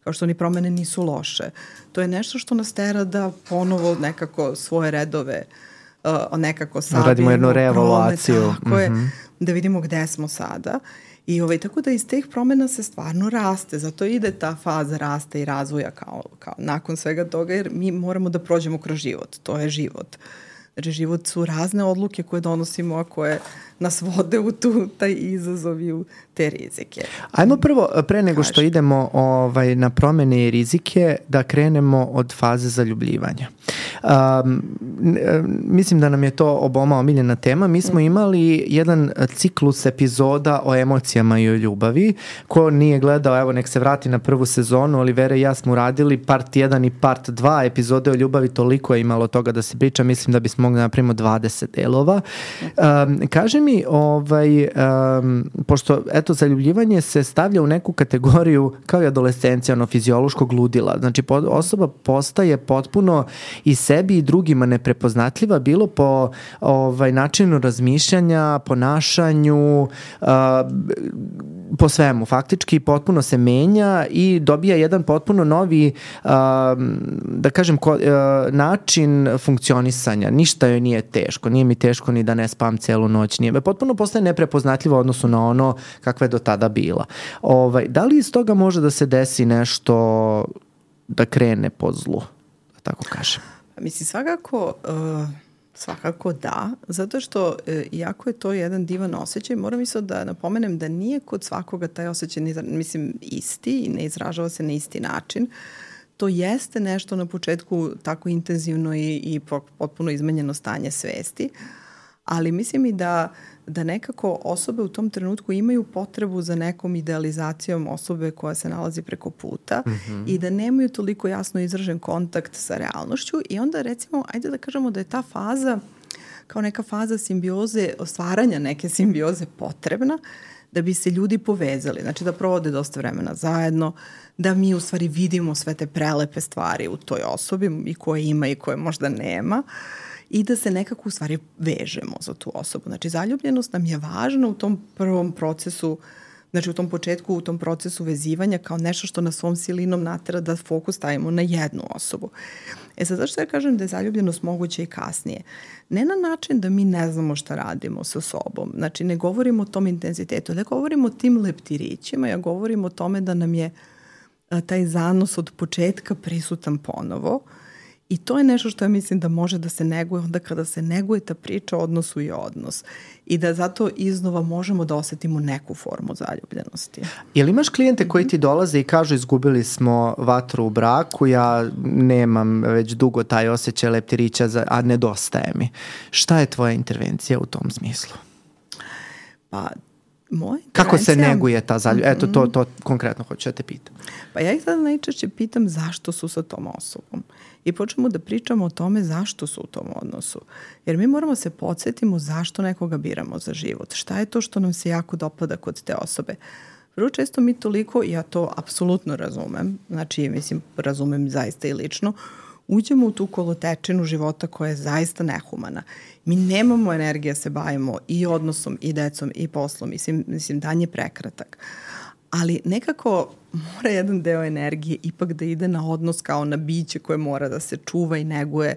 kao što ni promene nisu loše. To je nešto što nas tera da ponovo nekako svoje redove nekako savijemo. Radimo jednu reevaluaciju. Tako je, da vidimo gde smo sada. I tako da iz teh promjena se stvarno raste. Zato ide ta faza rasta i razvoja kao nakon svega toga, jer mi moramo da prođemo kroz život. To je život. Znači, život su razne odluke koje donosimo, a koje nas vode u taj izazov i u te rizike. Ajmo prvo, pre nego što idemo na promene i rizike, da krenemo od faze zaljubljivanja. Mislim da nam je to oboma omiljena tema. Mi smo imali jedan ciklus epizoda o emocijama i o ljubavi. Ko nije gledao, evo nek se vrati na prvu sezonu. Olivera i ja smo uradili part 1 i part 2 epizode o ljubavi, toliko je imalo toga da se priča. Mislim da bismo mogli napravimo 20 delova. Kaže mi, pošto eto, zaljubljivanje se stavlja u neku kategoriju kao i adolescencija, fiziološkog ludila. Znači, osoba postaje potpuno i sebi i drugima neprepoznatljiva, bilo po načinu razmišljanja, ponašanju, po svemu. Faktički potpuno se menja i dobija jedan potpuno novi, da kažem, način funkcionisanja. Ništa joj nije teško. Nije mi teško ni da ne spam celu noć. Potpuno postaje neprepoznatljiva u odnosu na ono kakva je do tada bila. Da li iz toga može da se desi nešto da krene po zlu? Da tako kažem. Mislim, svakako da, zato što iako je to jedan divan osjećaj, moram isto da napomenem da nije kod svakoga taj osjećaj isti i ne izražava se na isti način. To jeste nešto na početku tako intenzivno i potpuno izmenjeno stanje svesti, ali mislim i da nekako osobe u tom trenutku imaju potrebu za nekom idealizacijom osobe koja se nalazi preko puta i da nemaju toliko jasno izražen kontakt sa realnošću i onda recimo, ajde da kažemo da je ta faza kao neka faza simbioze, stvaranja neke simbioze potrebna da bi se ljudi povezali, znači da provode dosta vremena zajedno, da mi u stvari vidimo sve te prelepe stvari u toj osobi i koje ima i koje možda nema i da se nekako u stvari vežemo za tu osobu. Znači, zaljubljenost nam je važna u tom prvom procesu, znači u tom početku, u tom procesu vezivanja kao nešto što nas svom silinom natera da fokus stavimo na jednu osobu. Sad, zašto ja kažem da je zaljubljenost moguća i kasnije? Ne na način da mi ne znamo šta radimo sa sobom. Znači, ne govorimo o tom intenzitetu, ne govorimo o tim leptirićima, ja govorim o tome da nam je taj zanos od početka prisutan ponovo. I to je nešto što ja mislim da može da se neguje onda kada se neguje ta priča o odnosu i odnos. I da zato iznova možemo da osetimo neku formu zaljubljenosti. Jel imaš klijente koji ti dolaze i kažu izgubili smo vatru u braku, ja nemam već dugo taj osjećaj leptirića, a nedostaje mi. Šta je tvoja intervencija u tom smislu? Pa, moja intervencija... Kako se neguje ta zaljubljenost? Eto, to konkretno hoću da te pitam. Pa ja ih sada najčešće pitam zašto su sa tom osobom. I počnemo da pričamo o tome zašto su u tom odnosu. Jer mi moramo se podsjetimo zašto nekoga biramo za život. Šta je to što nam se jako dopada kod te osobe. Vrlo često mi toliko, ja to apsolutno razumem, znači mislim razumem zaista i lično, uđemo u tu kolotečinu života koja je zaista nehumana. Mi nemamo energije da se bavimo i odnosom, i decom, i poslom. Mislim, dan je prekratak. Ali nekako mora jedan deo energije ipak da ide na odnos kao na biće koje mora da se čuva i neguje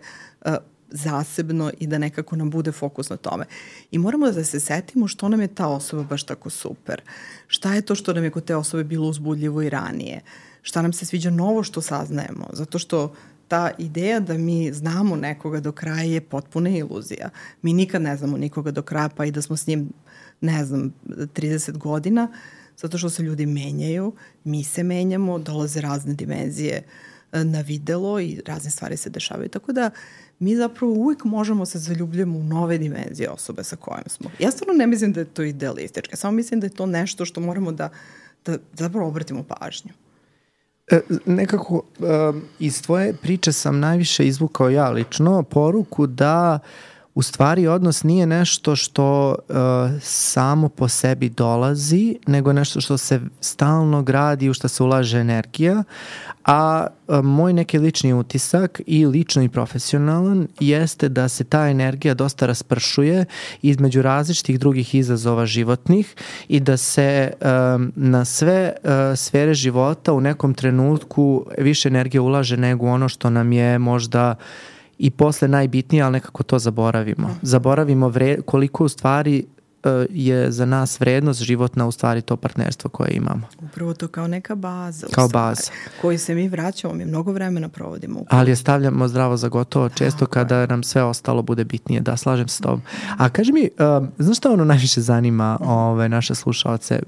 zasebno i da nekako nam bude fokus na tome. I moramo da se setimo što nam je ta osoba baš tako super. Šta je to što nam je kod te osobe bilo uzbudljivo i ranije. Šta nam se sviđa novo što saznajemo. Zato što ta ideja da mi znamo nekoga do kraja je potpuna iluzija. Mi nikad ne znamo nikoga do kraja, pa i da smo s njim, 30 godina, zato što se ljudi menjaju, mi se menjamo, dolaze razne dimenzije na videlo i razne stvari se dešavaju. Tako da mi zapravo uvijek možemo se zaljubljamo u nove dimenzije osobe sa kojom smo. Ja stvarno ne mislim da je to idealističko, samo mislim da je to nešto što moramo da zapravo obratimo pažnju. Nekako iz tvoje priče sam najviše izvukao ja lično poruku da u stvari odnos nije nešto što samo po sebi dolazi, nego nešto što se stalno gradi, u što se ulaže energija, a moj neki lični utisak i lično i profesionalan jeste da se ta energija dosta raspršuje između različitih drugih izazova životnih i da se na sve sfere života u nekom trenutku više energije ulaže nego ono što nam je možda i posle najbitnije, ali nekako to zaboravimo. Zaboravimo koliko u stvari je za nas vrednost životna u stvari to partnerstvo koje imamo. Upravo to kao neka baza. Kao baza. Koju se mi vraćamo, mi mnogo vremena provodimo. Ali je stavljamo zdravo za gotovo često kada nam sve ostalo bude bitnije. Da, slažem se s tobom. A kaži mi, znaš šta ono najviše zanima naše slušalce?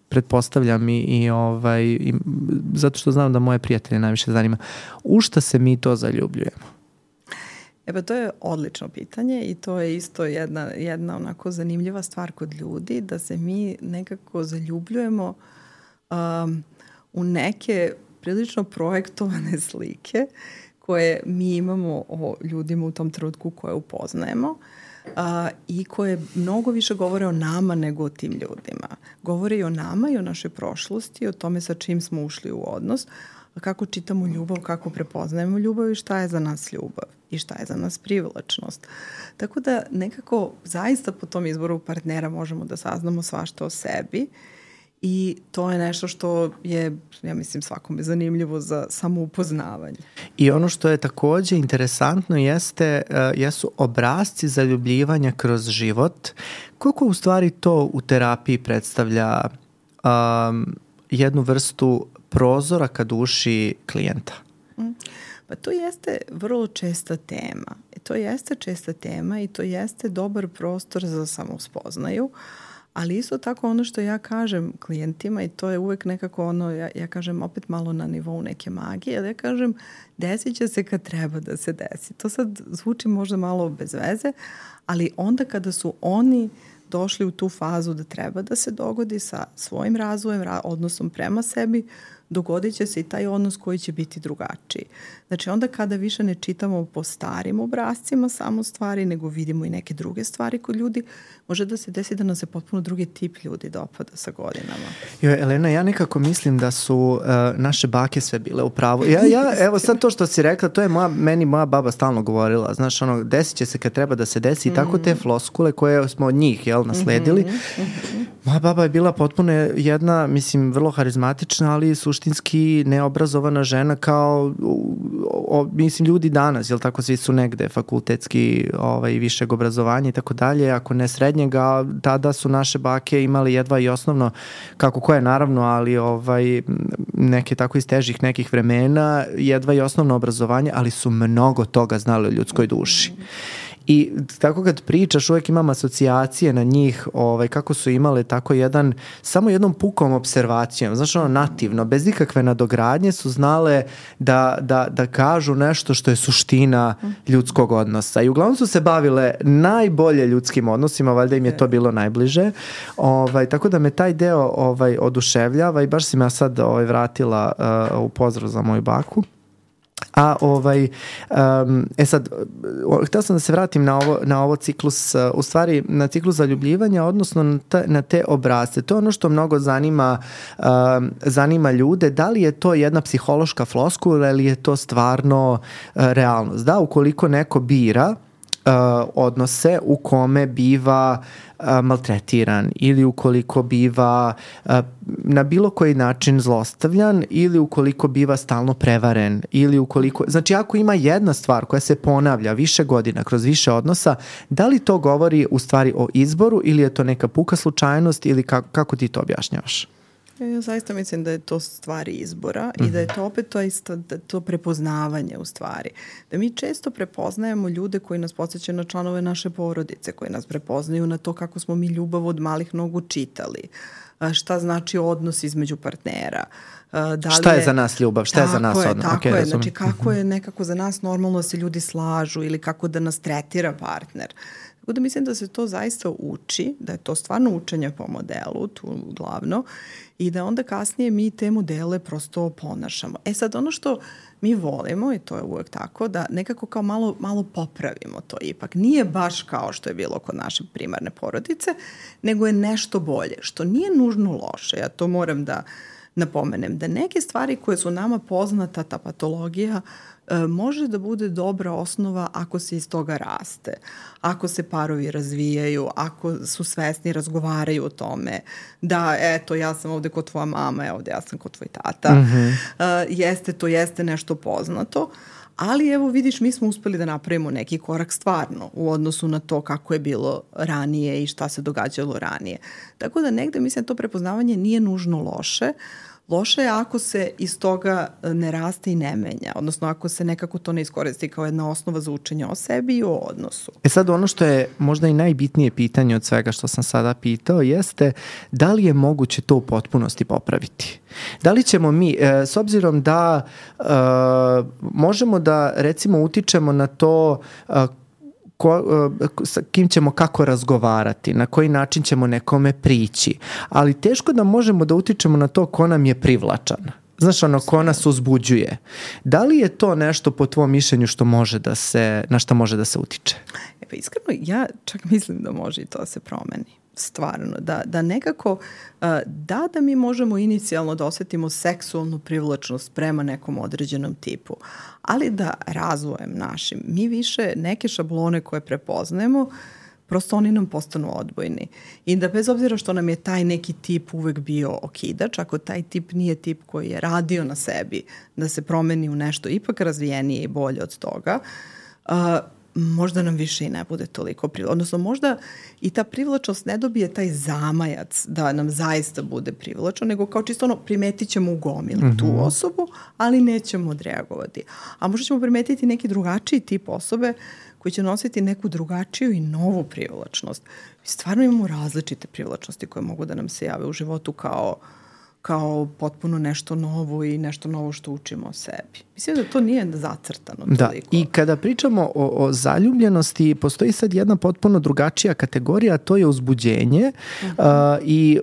Pretpostavljam i zato što znam da moje prijatelje najviše zanima. U šta se mi to zaljubljujemo? Pa to je odlično pitanje i to je isto jedna onako zanimljiva stvar kod ljudi, da se mi nekako zaljubljujemo u neke prilično projektovane slike koje mi imamo o ljudima u tom trenutku koje upoznajemo i koje mnogo više govore o nama nego o tim ljudima. Govore i o nama i o našoj prošlosti, o tome sa čim smo ušli u odnos, kako čitamo ljubav, kako prepoznajemo ljubav i šta je za nas ljubav i šta je za nas privlačnost. Tako da nekako zaista po tom izboru partnera možemo da saznamo svašta o sebi i to je nešto što je, ja mislim, svakome zanimljivo za samoupoznavanje. I ono što je takođe interesantno jesu obrasci zaljubljivanja kroz život. Koliko u stvari to u terapiji predstavlja jednu vrstu prozora ka duši klijenta? Pa to jeste vrlo česta tema. To jeste česta tema i to jeste dobar prostor za samospoznaju, ali isto tako ono što ja kažem klijentima, i to je uvek nekako ono, ja kažem opet malo na nivou neke magije, ali ja kažem desit će se kad treba da se desi. To sad zvuči možda malo bez veze, ali onda kada su oni došli u tu fazu da treba da se dogodi sa svojim razvojem, odnosom prema sebi, dogodit će se i taj odnos koji će biti drugačiji. Znači onda kada više ne čitamo po starim obrascima samo stvari, nego vidimo i neke druge stvari kod ljudi, može da se desi da nam se potpuno drugi tip ljudi dopada sa godinama. Elena, ja nekako mislim da su naše bake sve bile u pravu. Evo sad to što si rekla, to je meni moja baba stalno govorila. Znaš, desit će se kad treba da se desi i tako te floskule koje smo od njih nasledili. Moja baba je bila potpuno jedna, mislim, vrlo harizmatična, ali suštinski neobrazovana žena kao mislim ljudi danas, jel tako, svi su negde fakultetski višeg obrazovanja i tako dalje, ako ne srednjega, tada su naše bake imali jedva i osnovno, kako koje naravno, ali neke tako iz težih nekih vremena, jedva i osnovno obrazovanje, ali su mnogo toga znali o ljudskoj duši. I tako kad pričaš, uvek imam asocijacije na njih, kako su imale tako samo jednom pukom observacijom, znaš, nativno, bez ikakve nadogradnje su znale da kažu nešto što je suština ljudskog odnosa. I uglavnom su se bavile najbolje ljudskim odnosima, valjda im je to bilo najbliže. Tako da me taj deo oduševljava i baš si me sad vratila u pozdrav za moju baku. A sad, htio sam da se vratim na ovo ciklus, u stvari na ciklus zaljubljivanja, odnosno na te obrasce. To je ono što mnogo zanima ljude. Da li je to jedna psihološka floskula ili je to stvarno realnost? Da, ukoliko neko bira odnose u kome biva maltretiran ili ukoliko biva na bilo koji način zlostavljan ili ukoliko biva stalno prevaren ili ukoliko, znači ako ima jedna stvar koja se ponavlja više godina kroz više odnosa, da li to govori u stvari o izboru ili je to neka puka slučajnost ili kako ti to objašnjavaš? Ja zaista mislim da je to stvari izbora i da je to opet to prepoznavanje u stvari. Da mi često prepoznajemo ljude koji nas podsjećaju na članove naše porodice, koji nas prepoznaju na to kako smo mi ljubav od malih nogu čitali, šta znači odnos između partnera. Šta je za nas ljubav, šta je za nas odnos? Tako je, znači kako je nekako za nas normalno da se ljudi slažu ili kako da nas tretira partner. Tako da mislim da se to zaista uči, da je to stvarno učenje po modelu, tu glavno, i da onda kasnije mi te modele prosto ponašamo. Sad ono što mi volimo, i to je uvek tako, da nekako kao malo popravimo to ipak. Nije baš kao što je bilo kod naše primarne porodice, nego je nešto bolje, što nije nužno loše. Ja to moram da napomenem, da neke stvari koje su nama poznata, ta patologija, može da bude dobra osnova ako se iz toga raste, ako se parovi razvijaju, ako su svesni, razgovaraju o tome, da eto ja sam ovde kod tvoja mama, ovde ja sam kod tvoj tata, jeste nešto poznato, Ali evo vidiš, mi smo uspeli da napravimo neki korak stvarno u odnosu na to kako je bilo ranije i šta se događalo ranije. Tako da negde mislim da to prepoznavanje nije nužno loše. Loše je ako se iz toga ne raste i ne menja, odnosno ako se nekako to ne iskoristi kao jedna osnova za učenje o sebi i o odnosu. Sad ono što je možda i najbitnije pitanje od svega što sam sada pitao jeste da li je moguće to u potpunosti popraviti? Da li ćemo mi, s obzirom da možemo da recimo utičemo na to sa kim ćemo kako razgovarati, na koji način ćemo nekome prići, ali teško da možemo da utičemo na to ko nam je privlačan. Znaš, ko nas uzbuđuje. Da li je to nešto po tvom mišljenju što može da se, na šta može da se utiče? Pa iskreno, ja čak mislim da može i to da se promeni. Stvarno, da nekako, da mi možemo inicijalno da osetimo seksualnu privlačnost prema nekom određenom tipu, ali da razvojem našim, mi više neke šablone koje prepoznajemo, prosto oni nam postanu odbojni. I da bez obzira što nam je taj neki tip uvek bio okidač, ako taj tip nije tip koji je radio na sebi, da se promeni u nešto ipak razvijenije i bolje od toga, možda nam više i ne bude toliko privlačno. Odnosno možda i ta privlačnost ne dobije taj zamajac da nam zaista bude privlačno, nego kao čisto primetit ćemo u gomilu tu osobu, ali nećemo odreagovati. A možda ćemo primetiti neki drugačiji tip osobe koji će nositi neku drugačiju i novu privlačnost. Stvarno imamo različite privlačnosti koje mogu da nam se jave u životu kao potpuno nešto novo i nešto novo što učimo o sebi. Mislim da to nije zacrtano toliko. Da, i kada pričamo o zaljubljenosti, postoji sad jedna potpuno drugačija kategorija, a to je uzbuđenje. I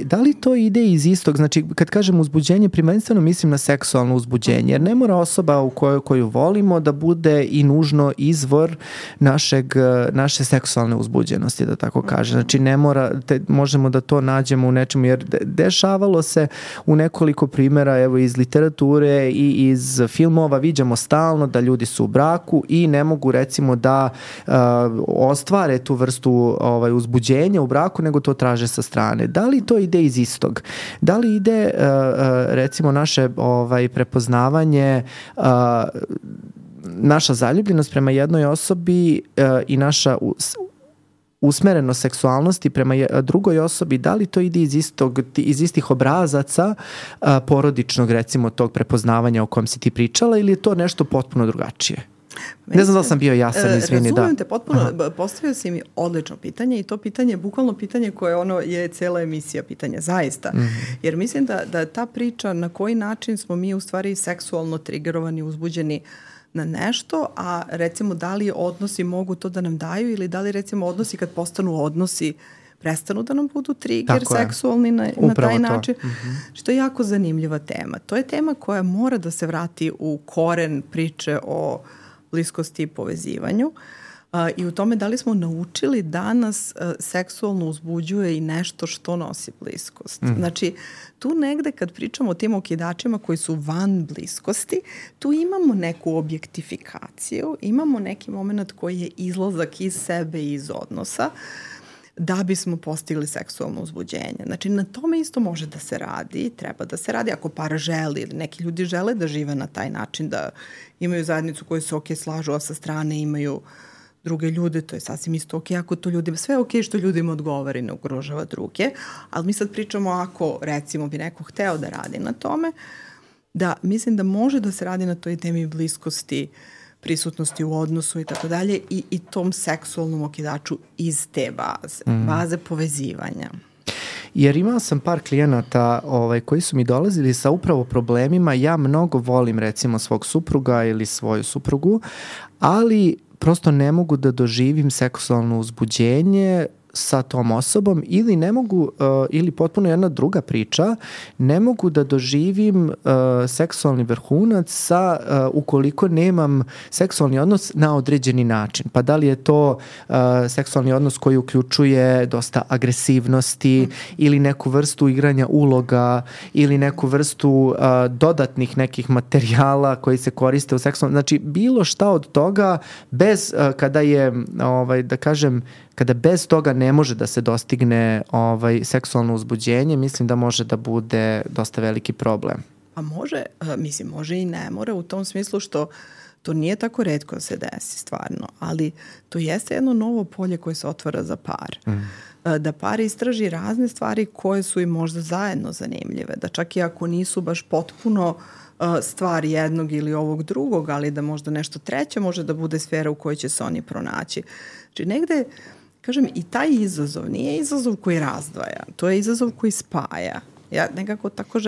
da li to ide iz istog, znači kad kažem uzbuđenje, prvenstveno mislim na seksualno uzbuđenje, jer ne mora osoba koju volimo da bude i nužno izvor naše seksualne uzbuđenosti, da tako kažem. Znači ne mora, možemo da to nađemo u nečemu, jer dešavalo se u nekoliko primjera, evo iz literature i iz filmova, viđamo stalno da ljudi su u braku i ne mogu recimo da ostvare tu vrstu uzbuđenja u braku, nego to traže sa strane. Da li to ide iz istog? Da li ide recimo naše prepoznavanje, naša zaljubljenost prema jednoj osobi i naša usmerenost seksualnosti prema drugoj osobi, da li to ide iz istih obrazaca porodičnog, recimo, tog prepoznavanja o kom si ti pričala, ili je to nešto potpuno drugačije? Ne znam da li sam bio jasan, izvini. Razumem te potpuno, postavio si mi odlično pitanje i to pitanje je bukvalno pitanje koje je cela emisija pitanja, zaista. Jer mislim da ta priča na koji način smo mi u stvari seksualno trigerovani, uzbuđeni na nešto, a recimo da li odnosi mogu to da nam daju ili da li recimo odnosi kad postanu odnosi prestanu da nam budu trigger seksualni na taj način. Što je jako zanimljiva tema. To je tema koja mora da se vrati u koren priče o bliskosti i povezivanju i u tome da li smo naučili da nas seksualno uzbuđuje i nešto što nosi bliskost. Znači, tu negde kad pričamo o tim okidačima koji su van bliskosti, tu imamo neku objektifikaciju, imamo neki moment koji je izlazak iz sebe i iz odnosa da bismo postigli seksualno uzbuđenje. Znači, na tome isto može da se radi, treba da se radi ako par želi ili neki ljudi žele da žive na taj način, da imaju zajednicu koju se slažu, a sa strane imaju druge ljude, to je sasvim isto ako to ljudima, sve što ljudima odgovara i ne ugrožava druge, ali mi sad pričamo ako recimo bi neko hteo da radi na tome, da mislim da može da se radi na toj temi bliskosti, prisutnosti u odnosu i tako dalje i tom seksualnom okidaču iz te baze povezivanja. Jer imao sam par klijenata koji su mi dolazili sa upravo problemima, ja mnogo volim recimo svog supruga ili svoju suprugu, ali prosto ne mogu da doživim seksualno uzbuđenje sa tom osobom ili ne mogu, ili potpuno jedna druga priča, ne mogu da doživim seksualni vrhunac ukoliko nemam seksualni odnos na određeni način. Pa da li je to seksualni odnos koji uključuje dosta agresivnosti ili neku vrstu igranja uloga ili neku vrstu dodatnih nekih materijala koji se koriste u seksualnom, znači bilo šta od toga bez, kada je, da kažem, kada bez toga ne može da se dostigne seksualno uzbuđenje, mislim da može da bude dosta veliki problem. Pa može, može i ne mora u tom smislu što To nije tako retko da se desi stvarno, ali to jeste jedno novo polje koje se otvara za par. Da par istraži razne stvari koje su im možda zajedno zanimljive, da čak i ako nisu baš potpuno stvar jednog ili ovog drugog, ali da možda nešto treće može da bude sfera u kojoj će se oni pronaći. Znači negde, kažem, i taj izazov nije izazov koji razdvaja, to je izazov koji spaja. Ja nekako tako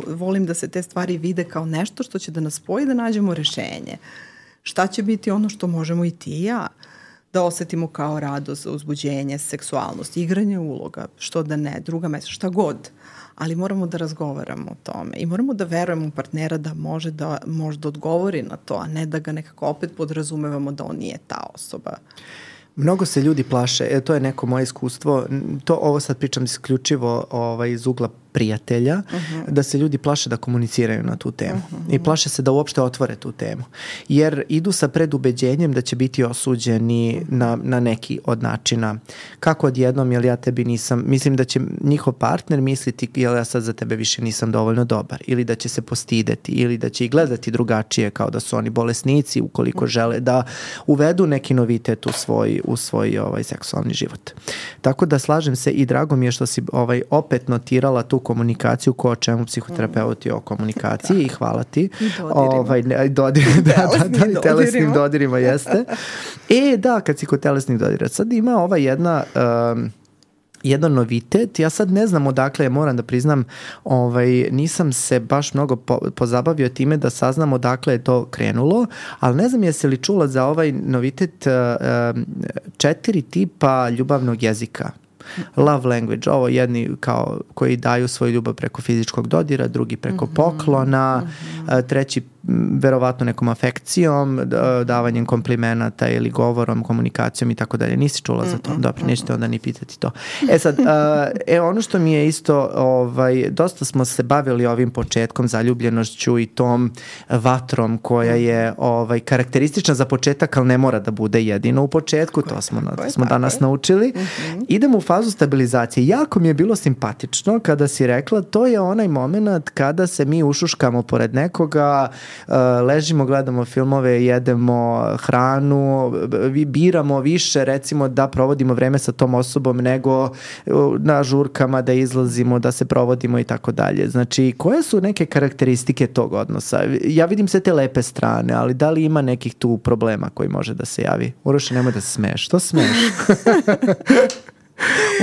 volim da se te stvari vide kao nešto što će da nas spoji da nađemo rešenje. Šta će biti ono što možemo i ti i ja da osetimo kao radost, uzbuđenje, seksualnost, igranje uloga, što da ne, druga mesta, šta god. Ali moramo da razgovaramo o tome i moramo da verujemo u partnera da može da možda odgovori na to, a ne da ga nekako opet podrazumevamo da on nije ta osoba. Mnogo se ljudi plaše, to je neko moje iskustvo, ovo sad pričam isključivo iz ugla prijatelja, da se ljudi plaše da komuniciraju na tu temu i plaše se da uopšte otvore tu temu, jer idu sa predubeđenjem da će biti osuđeni na neki od načina. Kako odjednom, jel ja tebi nisam, mislim da će njihov partner misliti jel ja sad za tebe više nisam dovoljno dobar, ili da će se postideti, ili da će ih gledati drugačije kao da su oni bolesnici ukoliko žele da uvedu neki novitet u svoj seksualni život. Tako da slažem se i drago mi je što si opet notirala tu komunikaciju ko o čemu psihoterapeuti o komunikaciji i hvala ti. I telesnim dodirima jeste. Da, kad si kod telesnih dodira. Sad ima jedan novitet, ja sad ne znam odakle, moram da priznam, nisam se baš mnogo pozabavio time da saznam odakle je to krenulo, ali ne znam jesi li čula za ovaj novitet 4 tipa ljubavnog jezika. Love language, ovo jedni kao koji daju svoju ljubav preko fizičkog dodira, drugi preko poklona, treći verovatno nekom afekcijom, davanjem komplimenata ili govorom, komunikacijom i tako dalje. Nisi čula za to? Dobro, nećete onda ni pitati to. Sad, ono što mi je isto, dosta smo se bavili ovim početkom, zaljubljenošću i tom vatrom koja je karakteristična za početak, ali ne mora da bude jedino u početku, to smo danas naučili. Idemo u fazu stabilizacije. Jako mi je bilo simpatično kada si rekla, to je onaj moment kada se mi ušuškamo pored nekoga, ležimo, gledamo filmove, jedemo hranu, biramo više recimo da provodimo vreme sa tom osobom nego na žurkama da izlazimo, da se provodimo i tako dalje. Znači, koje su neke karakteristike tog odnosa? Ja vidim sve te lepe strane, ali da li ima nekih tu problema koji može da se javi? Uroše, nemoj da se smeješ. Što smeješ?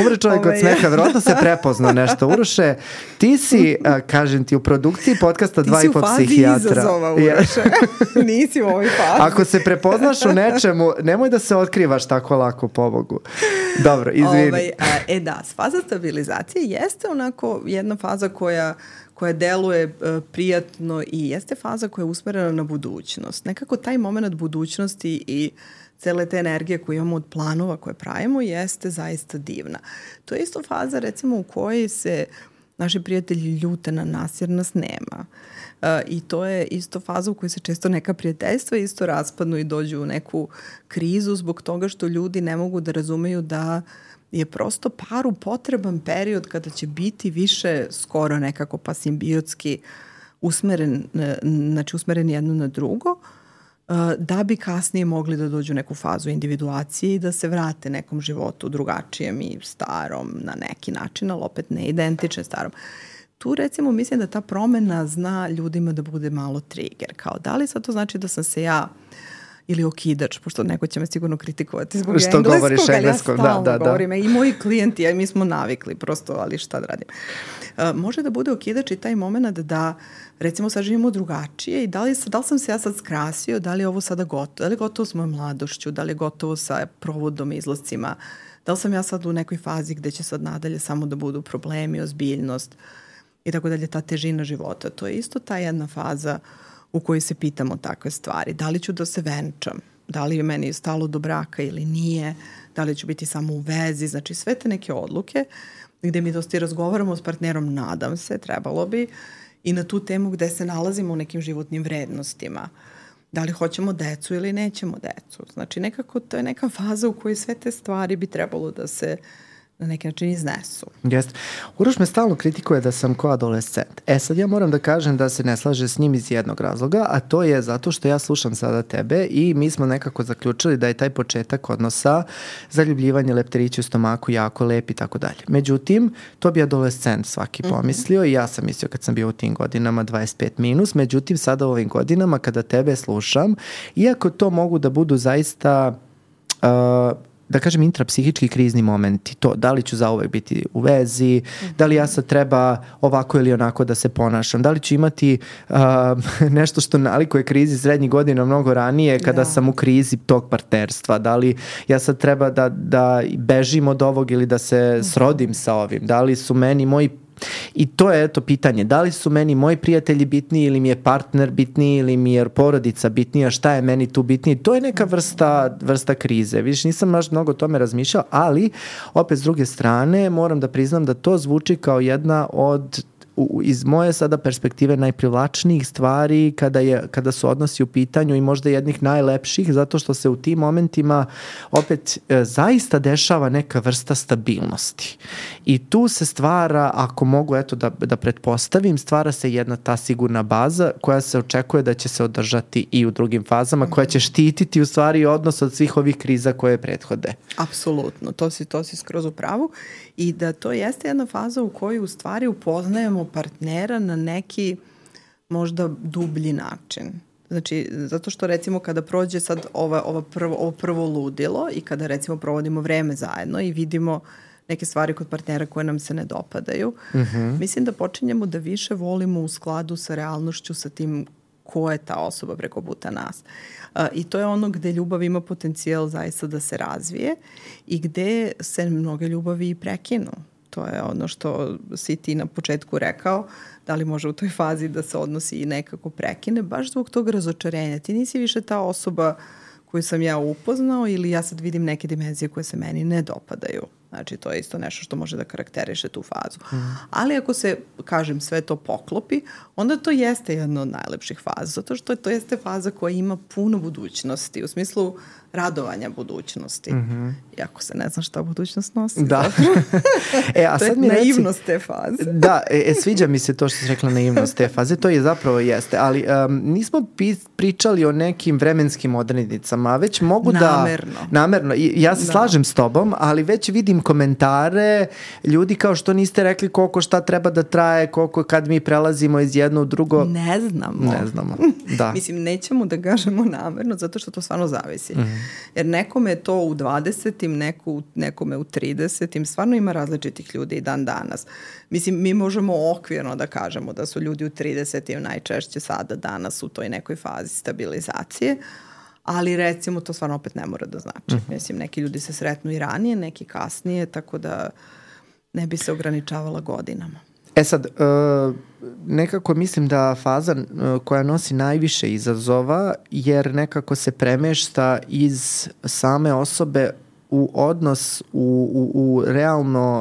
Umre čovjek od smeha, verovatno se prepoznao nešto. Uroše, ti si, kažem ti, u produkciji podcasta 2,5 psihijatra. Ti si u fazi izazova, Uroše. Nisi u ovoj fazi. Ako se prepoznaš u nečemu, nemoj da se otkrivaš tako lako, pobogu. Dobro, izvini. Faza stabilizacije jeste onako jedna faza koja deluje prijatno i jeste faza koja je usmerena na budućnost. Nekako taj moment budućnosti i cele te energije koje imamo od planova koje pravimo jeste zaista divna. To je isto faza recimo u kojoj se naši prijatelji ljute na nas jer nas nema. I to je isto faza u kojoj se često neka prijateljstva isto raspadnu i dođu u neku krizu zbog toga što ljudi ne mogu da razumeju da je prosto paru potreban period kada će biti više skoro nekako pa simbiotski usmeren jedno na drugo, da bi kasnije mogli da dođu u neku fazu individuacije i da se vrate nekom životu drugačijem i starom na neki način, ali opet ne identičan starom. Tu recimo mislim da ta promena zna ljudima da bude malo trigger. Kao da li sad to znači da sam se ja ili okidač, pošto neko će me sigurno kritikovati zbog engleskog, ali ja stalno govorim. I moji klijenti, mi smo navikli prosto, ali šta da radim. Može da bude okidač i taj moment da recimo sad živimo drugačije i da li sam se ja sad skrasio, da li je ovo sada gotovo, da li je gotovo s mojom mladošću, da li je gotovo sa provodom, izlascima, da li sam ja sad u nekoj fazi gde će sad nadalje samo da budu problemi, ozbiljnost i tako dalje, ta težina života. To je isto ta jedna faza u kojoj se pitamo takve stvari. Da li ću da se venčam? Da li je meni stalo do braka ili nije? Da li ću biti samo u vezi? Znači sve te neke odluke gde mi dosta razgovaramo s partnerom, nadam se, trebalo bi, i na tu temu gde se nalazimo u nekim životnim vrednostima. Da li hoćemo decu ili nećemo decu? Znači nekako to je neka faza u kojoj sve te stvari bi trebalo na neki način iznesu. Jeste. Uroš me stalno kritikuje da sam ko adolescent. Sad ja moram da kažem da se ne slaže s njim iz jednog razloga, a to je zato što ja slušam sada tebe i mi smo nekako zaključili da je taj početak odnosa zaljubljivanje, lepterići u stomaku jako lep i tako dalje. Međutim, to bi adolescent svaki pomislio i ja sam mislio kad sam bio u tim godinama 25 minus, međutim sada u ovim godinama kada tebe slušam, iako to mogu da budu zaista da kažem intrapsihički krizni momenti, to da li ću zauvek biti u vezi, da li ja sad treba ovako ili onako da se ponašam, da li ću imati nešto što nalikuje krizi srednjih godina mnogo ranije kada sam u krizi tog partnerstva, da li ja sad treba da bežim od ovog ili da se srodim sa ovim, da li su meni moji. I to je pitanje, da li su meni moji prijatelji bitniji ili mi je partner bitniji ili mi je porodica bitnija, šta je meni tu bitniji, to je neka vrsta krize. Vidiš, nisam baš mnogo o tome razmišljao, ali opet s druge strane moram da priznam da to zvuči kao jedna od iz moje sada perspektive najprivlačnijih stvari kada su odnosi u pitanju i možda jednih najlepših, zato što se u tim momentima opet zaista dešava neka vrsta stabilnosti. I tu se stvara, ako mogu da pretpostavim, stvara se jedna ta sigurna baza koja se očekuje da će se održati i u drugim fazama, koja će štititi u stvari odnos od svih ovih kriza koje prethode. Apsolutno, to si skroz u pravu i da to jeste jedna faza u kojoj u stvari upoznajemo partnera na neki možda dublji način. Znači, zato što recimo kada prođe sad ovo prvo ludilo i kada recimo provodimo vreme zajedno i vidimo neke stvari kod partnera koje nam se ne dopadaju, mislim da počinjemo da više volimo u skladu sa realnošću, sa tim ko je ta osoba preko puta nas. I to je ono gde ljubav ima potencijal zaista da se razvije i gde se mnoge ljubavi i prekinu. To je ono što si ti na početku rekao, da li može u toj fazi da se odnosi i nekako prekine, baš zbog tog razočarenja. Ti nisi više ta osoba koju sam ja upoznao ili ja sad vidim neke dimenzije koje se meni ne dopadaju. Znači, to je isto nešto što može da karakteriše tu fazu. Ali ako se, kažem, sve to poklopi, onda to jeste jedna od najlepših faza, zato što to jeste faza koja ima puno budućnosti, u smislu radovanja budućnosti. Iako se ne znam šta budućnost nosi. Da. A to sad je naivnost te faze. Da, sviđa mi se to što si rekla, naivnost te faze, to je zapravo jeste, ali nismo pričali o nekim vremenskim odrednicama, već mogu namerno. Ja se slažem s tobom, ali već vidim komentare ljudi kao što niste rekli koliko šta treba da traje, koliko kad mi prelazimo iz jedno u drugo. Ne znamo. Da. Mislim, nećemo da gažemo namerno, zato što to stvarno zavisi. Jer nekome je to u 20-im, nekome u 30-im, stvarno ima različitih ljudi i dan danas. Mislim, mi možemo okvirno da kažemo da su ljudi u 30-im najčešće sada danas u toj nekoj fazi stabilizacije, ali recimo to stvarno opet ne mora da znači. Mislim, neki ljudi se sretnu i ranije, neki kasnije, tako da ne bi se ograničavala godinama. Sad, nekako mislim da faza koja nosi najviše izazova, jer nekako se premešta iz same osobe u odnos u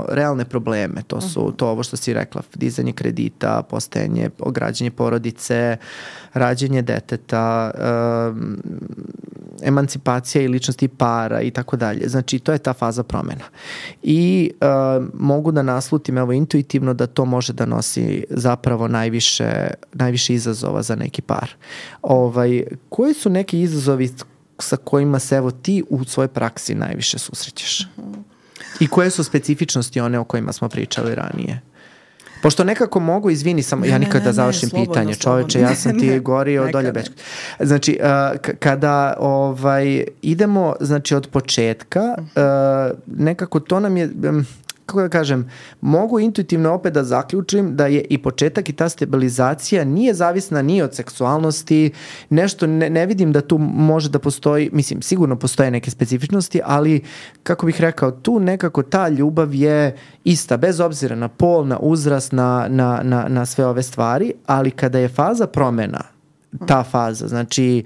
realne probleme. To su to ovo što si rekla, dizanje kredita, postajanje, ograđanje porodice, rađenje deteta, emancipacija i ličnosti para i tako dalje. Znači, to je ta faza promena. I mogu da naslutim intuitivno da to može da nosi zapravo najviše izazova za neki par. Koji su neki izazovi sa kojima se ti u svojoj praksi najviše susrećeš? I koje su specifičnosti one o kojima smo pričali ranije? Pošto nekako mogu, izvini samo, ja nikad da završim pitanje, čoveče, ja sam ti gorio dolje već. Znači, kada idemo, znači, od početka, nekako to nam je, kako da kažem, mogu intuitivno opet da zaključim da je i početak i ta stabilizacija nije zavisna ni od seksualnosti, nešto ne vidim da tu može da postoji, mislim, sigurno postoje neke specifičnosti, ali, kako bih rekao, tu nekako ta ljubav je ista, bez obzira na pol, na uzrast, na sve ove stvari, ali kada je faza promena, ta faza, znači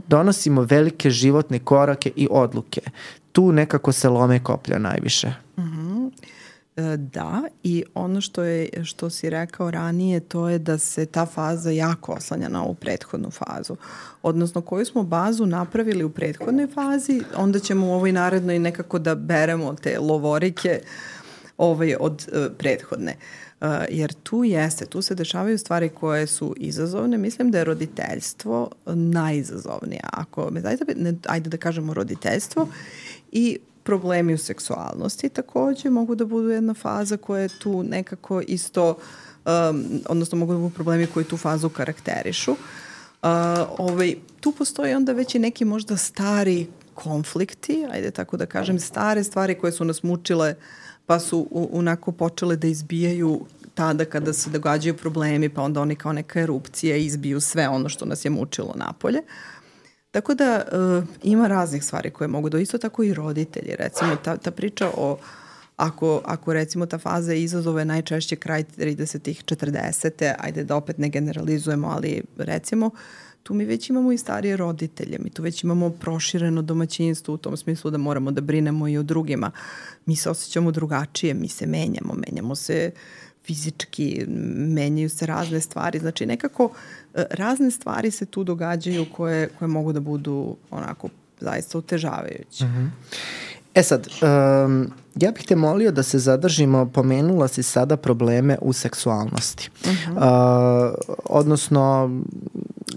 donosimo velike životne korake i odluke. Tu nekako se lome koplja najviše. Da, i ono što si rekao ranije, to je da se ta faza jako oslanja na ovu prethodnu fazu. Odnosno, koju smo bazu napravili u prethodnoj fazi, onda ćemo u ovoj narednoj nekako da beremo te lovorike od prethodne. Jer tu se dešavaju stvari koje su izazovne. Mislim da je roditeljstvo najizazovnije. Ajde da kažemo roditeljstvo i problemi u seksualnosti takođe mogu da budu jedna faza koja je tu nekako isto, odnosno mogu da budu problemi koji tu fazu karakterišu. Tu postoji onda već i neki možda stari konflikti, ajde tako da kažem, stare stvari koje su nas mučile pa su onako počele da izbijaju tada kada se događaju problemi, pa onda oni kao neka erupcija izbiju sve ono što nas je mučilo napolje. Tako da ima raznih stvari koje mogu da, isto tako i roditelji, recimo ta priča o, ako recimo ta faza izazove najčešće kraj 30-ih, 40-te, ajde da opet ne generalizujemo, ali recimo tu mi već imamo i starije roditelje, mi tu već imamo prošireno domaćinstvo u tom smislu da moramo da brinemo i o drugima. Mi se osjećamo drugačije, mi se menjamo se fizički, menjaju se razne stvari, znači nekako razne stvari se tu događaju koje mogu da budu onako zaista otežavajuće. Mm-hmm. Sad, ja bih te molio da se zadržimo, pomenula si sada probleme u seksualnosti. Odnosno...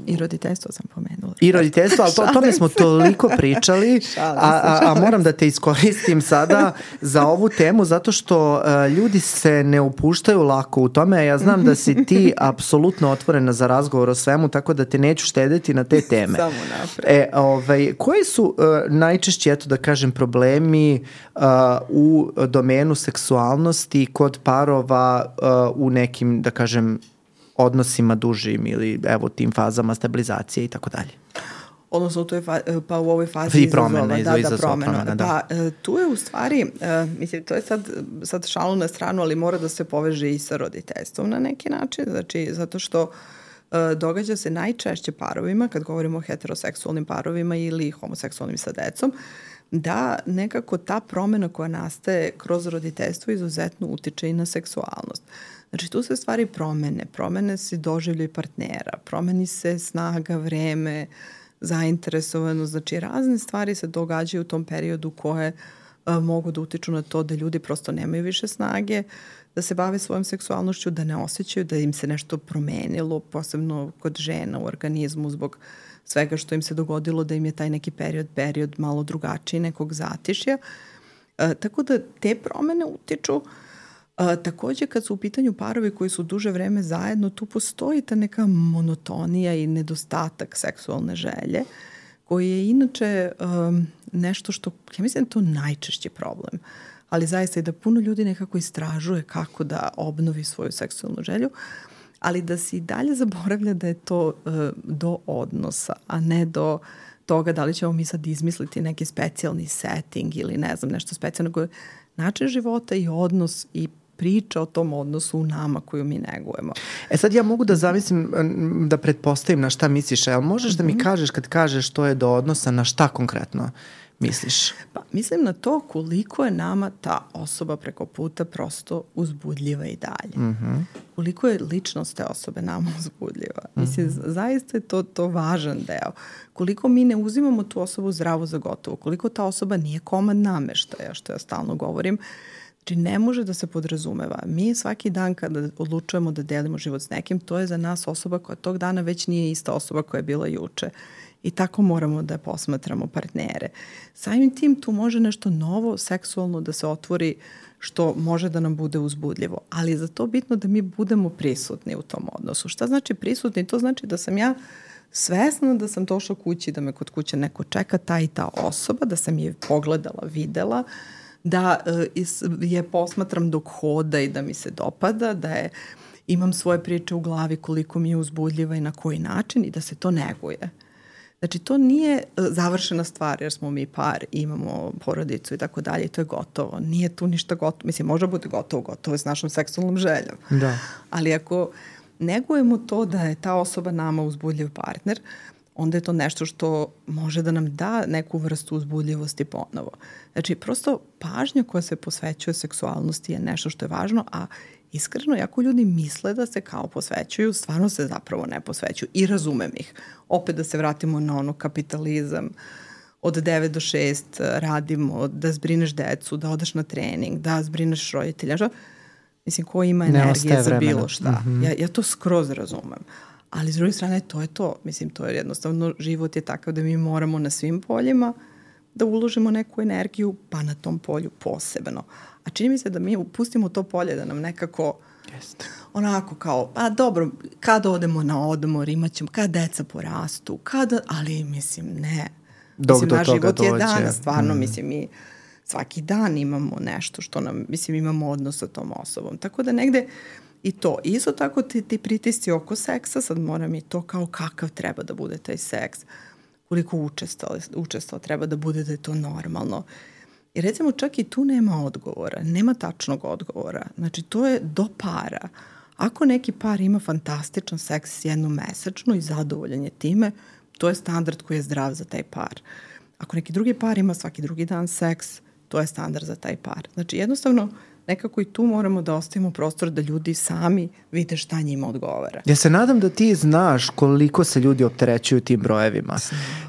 I roditeljstvo sam pomenula. I roditeljstvo, ali o tome smo toliko pričali, a moram da te iskoristim sada za ovu temu, zato što ljudi se ne upuštaju lako u tome. Ja znam da si ti apsolutno otvorena za razgovor o svemu, tako da te neću štedeti na te teme. Samo napred. Koji su najčešći, eto da kažem, problemi u domenu seksualnosti kod parova u nekim, da kažem, odnosima dužim ili evo tim fazama stabilizacije i tako dalje? Odnosno pa u ovoj fazi izazova promena. Da. Tu je u stvari, mislim, to je sad šalu na stranu, ali mora da se poveže i sa roditeljstvom na neki način, znači zato što događa se najčešće parovima, kad govorimo o heteroseksualnim parovima ili homoseksualnim sa decom, da nekako ta promena koja nastaje kroz roditeljstvo izuzetno utiče i na seksualnost. Znači tu se stvari promene se doživljaj partnera, promeni se snaga, vreme, zainteresovanost, znači razne stvari se događaju u tom periodu koje mogu da utiču na to da ljudi prosto nemaju više snage, da se bave svojom seksualnošću, da ne osjećaju da im se nešto promenilo, posebno kod žena u organizmu zbog svega što im se dogodilo, da im je taj neki period malo drugačiji, nekog zatišja. Tako da te promene utiču. Takođe kad su u pitanju parovi koji su duže vreme zajedno, tu postoji ta neka monotonija i nedostatak seksualne želje, koji je inače nešto što, ja mislim, to najčešći problem. Ali zaista i da puno ljudi nekako istražuje kako da obnovi svoju seksualnu želju, ali da se i dalje zaboravlja da je to do odnosa, a ne do toga da li ćemo mi sad izmisliti neki specijalni setting ili ne znam, nešto specijalno. Način života i odnos i priča o tom odnosu u nama koju mi negujemo. Sad ja mogu da zamislim, da pretpostavim na šta misliš, ali možeš da mi kažeš kad kažeš to je do odnosa, na šta konkretno misliš? Pa mislim na to koliko je nama ta osoba preko puta prosto uzbudljiva i dalje. Koliko je ličnost te osobe nama uzbudljiva. Mislim, zaista je to važan deo. Koliko mi ne uzimamo tu osobu zdravo za gotovo, koliko ta osoba nije komad nameštaja, što ja stalno govorim. Znači, ne može da se podrazumeva. Mi svaki dan kada odlučujemo da delimo život s nekim, to je za nas osoba koja tog dana već nije ista osoba koja je bila juče. I tako moramo da posmatramo partnere. Samim tim tu može nešto novo, seksualno da se otvori što može da nam bude uzbudljivo. Ali je za to bitno da mi budemo prisutni u tom odnosu. Šta znači prisutni? To znači da sam ja svesna da sam došla kući, da me kod kuće neko čeka, ta i ta osoba, da sam je pogledala, videla, da je posmatram dok hoda i da mi se dopada, da imam svoje priče u glavi koliko mi je uzbudljiva i na koji način i da se to neguje. Znači, to nije završena stvar jer smo mi par, imamo porodicu i tako dalje i to je gotovo. Nije tu ništa gotovo. Mislim, može biti gotovo je s našom seksualnom željom. Da. Ali ako negujemo to da je ta osoba nama uzbudljiv partner, onda je to nešto što može da nam da neku vrstu uzbudljivosti ponovo. Znači, prosto pažnja koja se posvećuje seksualnosti je nešto što je važno, a iskreno, jako ljudi misle da se kao posvećuju, stvarno se zapravo ne posvećuju i razumem ih. Opet da se vratimo na ono kapitalizam, od 9 do 6 radimo, da zbrineš decu, da odeš na trening, da zbrineš roditelja. Mislim, ko ima energije za bilo šta. Mm-hmm. Ja to skroz razumem. Ali s druge strane, to je to. Mislim, to je jednostavno, život je takav da mi moramo na svim poljima da uložimo neku energiju, pa na tom polju posebno. A čini mi se da mi upustimo to polje, da nam nekako onako kao, pa dobro, kad odemo na odmor, imat ćemo, kad deca porastu, ali mislim, ne. Mislim, naš život je danas, stvarno, mislim, mi svaki dan imamo nešto što nam, mislim, imamo odnos sa tom osobom. Tako da negde i to. Isto tako ti pritisci oko seksa, sad moram i to kao kakav treba da bude taj seks, koliko učestao treba da bude da je to normalno. I recimo čak i tu nema odgovora, nema tačnog odgovora. Znači to je do para. Ako neki par ima fantastičan seks jednom mesečno i zadovoljan je time, to je standard koji je zdrav za taj par. Ako neki drugi par ima svaki drugi dan seks, to je standard za taj par. Znači jednostavno nekako i tu moramo da ostavimo prostor da ljudi sami vide šta njima odgovara. Ja se nadam da ti znaš koliko se ljudi opterećuju tim brojevima.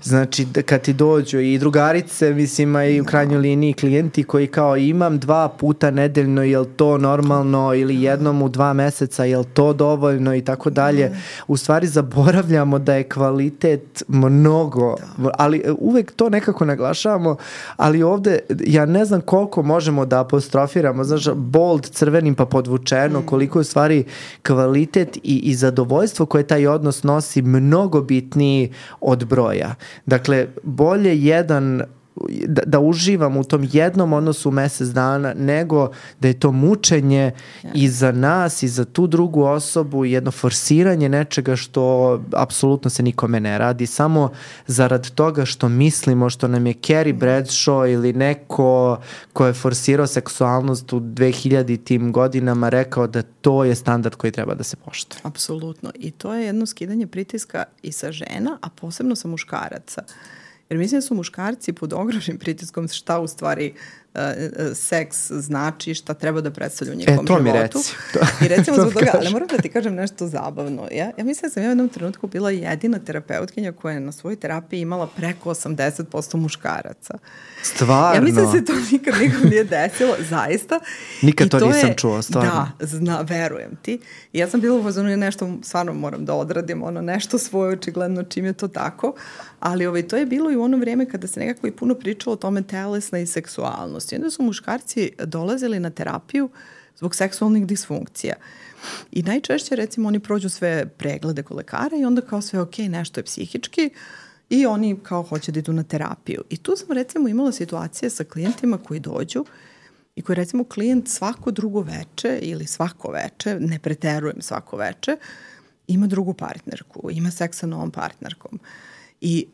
Znači, kad ti dođu i drugarice, mislim, i u krajnjoj liniji klijenti koji kao imam 2 puta nedeljno, je li to normalno, ili jednom u 2 meseca, je li to dovoljno i tako dalje. U stvari zaboravljamo da je kvalitet mnogo, ali uvek to nekako naglašavamo, ali ovde ja ne znam koliko možemo da apostrofiramo, znaš, bold, crvenim pa podvučeno, koliko je u stvari kvalitet i zadovoljstvo koje taj odnos nosi mnogo bitniji od broja. Dakle, bolje da uživam u tom jednom odnosu u mesec dana, nego da je to mučenje i za nas i za tu drugu osobu, jedno forsiranje nečega što apsolutno se nikome ne radi, samo zarad toga što mislimo, što nam je Carrie Bradshaw ili neko ko je forsirao seksualnost u 2000-tim godinama rekao da to je standard koji treba da se poštuje. Apsolutno. I to je jedno skidanje pritiska i sa žena, a posebno sa muškaraca. Jer mislim da su muškarci pod ogromnim pritiskom šta u stvari seks znači, šta treba da predstavlja u njihovom životu. Mi reci. I recimo zbog toga, ali moram da ti kažem nešto zabavno. Ja mislim da sam u jednom trenutku bila jedina terapeutkinja koja je na svojoj terapiji imala preko 80% muškaraca. Stvarno? Ja mislim da se to nikad nikom nije desilo, zaista. Nikad to nisam čuo, stvarno. Da, verujem ti. I ja sam bila u fazonu, nešto stvarno moram da odradim, nešto svoje očigledno čim je to tako, ali to je bilo i u ono vrijeme kada se nekako i puno pričalo o tome telesna i seksualnost. I onda su muškarci dolazili na terapiju zbog seksualnih disfunkcija. I najčešće, recimo, oni prođu sve preglede kod lekara i onda kao sve ok, nešto je psihički i oni kao hoće da idu na terapiju. I tu sam recimo imala situacije sa klijentima koji dođu i koji recimo klijent svako drugo veče ili svako veče, ne preterujem svako veče, ima drugu partnerku, ima seks sa novom partnerkom. I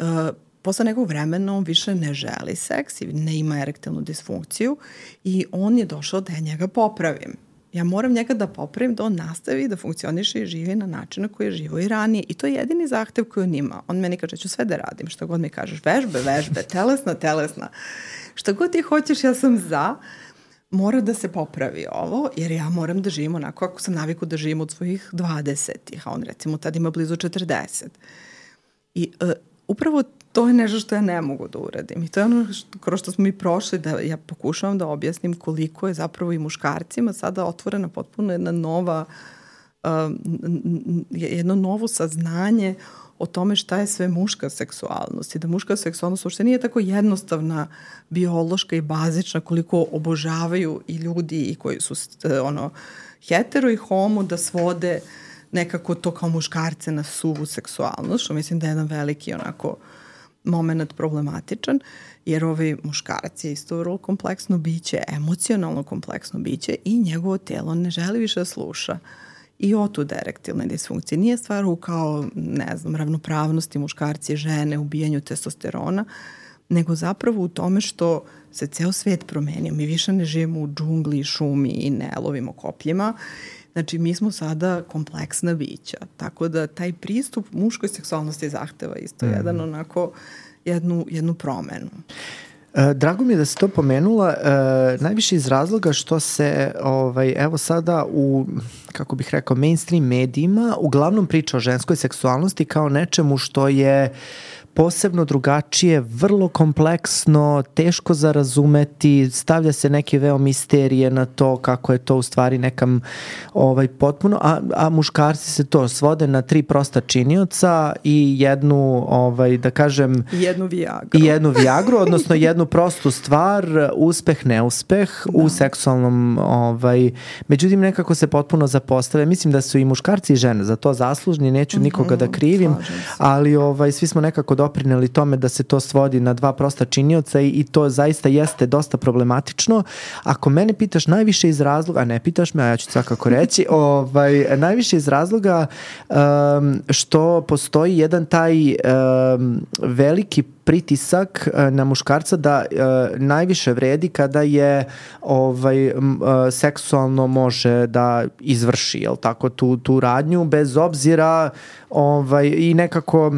posle nekog vremena on više ne želi seks i ne ima erektilnu disfunkciju i on je došao da ja njega popravim. Ja moram njega da popravim da on nastavi da funkcioniše i živi na način na koji je živo i ranije. I to je jedini zahtev koji on ima. On meni kaže, ću sve da radim, što god mi kažeš, vežbe, telesna. Šta god ti hoćeš, ja sam za. Mora da se popravi ovo, jer ja moram da živim onako ako sam naviku da živim od svojih 20-ih, a on recimo tad ima blizu 40. I upravo to je nešto što ja ne mogu da uradim. I to je ono kroz što smo mi prošli, da ja pokušavam da objasnim koliko je zapravo i muškarcima sada otvorena potpuno jedno novo saznanje o tome šta je sve muška seksualnost i da muška seksualnost uopšte nije tako jednostavna, biološka i bazična koliko obožavaju i ljudi i koji su hetero i homo da svode nekako to kao muškarce na suvu seksualnost, što mislim da je jedan veliki moment problematičan, jer muškarac je isto vrlo kompleksno biće, emocionalno kompleksno biće i njegovo telo ne želi više da sluša. I otud erektilne disfunkcije. Nije stvar u ravnopravnosti muškarci i žene, ubijanju testosterona, nego zapravo u tome što se ceo svet promenio. Mi više ne živimo u džungli, šumi i ne lovimo kopljima. Znači, mi smo sada kompleksna bića, tako da taj pristup muškoj seksualnosti zahteva isto jedan onako jednu promenu. Drago mi je da si to pomenula, najviše iz razloga što se evo sada u, kako bih rekao, mainstream medijima uglavnom priča o ženskoj seksualnosti kao nečemu što je posebno drugačije, vrlo kompleksno, teško za razumeti, stavlja se neke veo misterije na to kako je to u stvari nekam potpuno, a muškarci se to svode na 3 prosta činioca i jednu, da kažem... jednu viagru, odnosno jednu prostu stvar, uspeh, neuspeh u seksualnom, međutim nekako se potpuno zapostave. Mislim da su i muškarci i žene za to zaslužni, neću nikoga da krivim, ali svi smo nekako doprineli tome da se to svodi na 2 prosta činioca i to zaista jeste dosta problematično. Ako mene pitaš najviše iz razloga, a ne pitaš me, a ja ću svakako reći, najviše iz razloga što postoji jedan taj veliki pritisak na muškarca da najviše vredi kada je seksualno može da izvrši, jel tako, tu radnju bez obzira i nekako...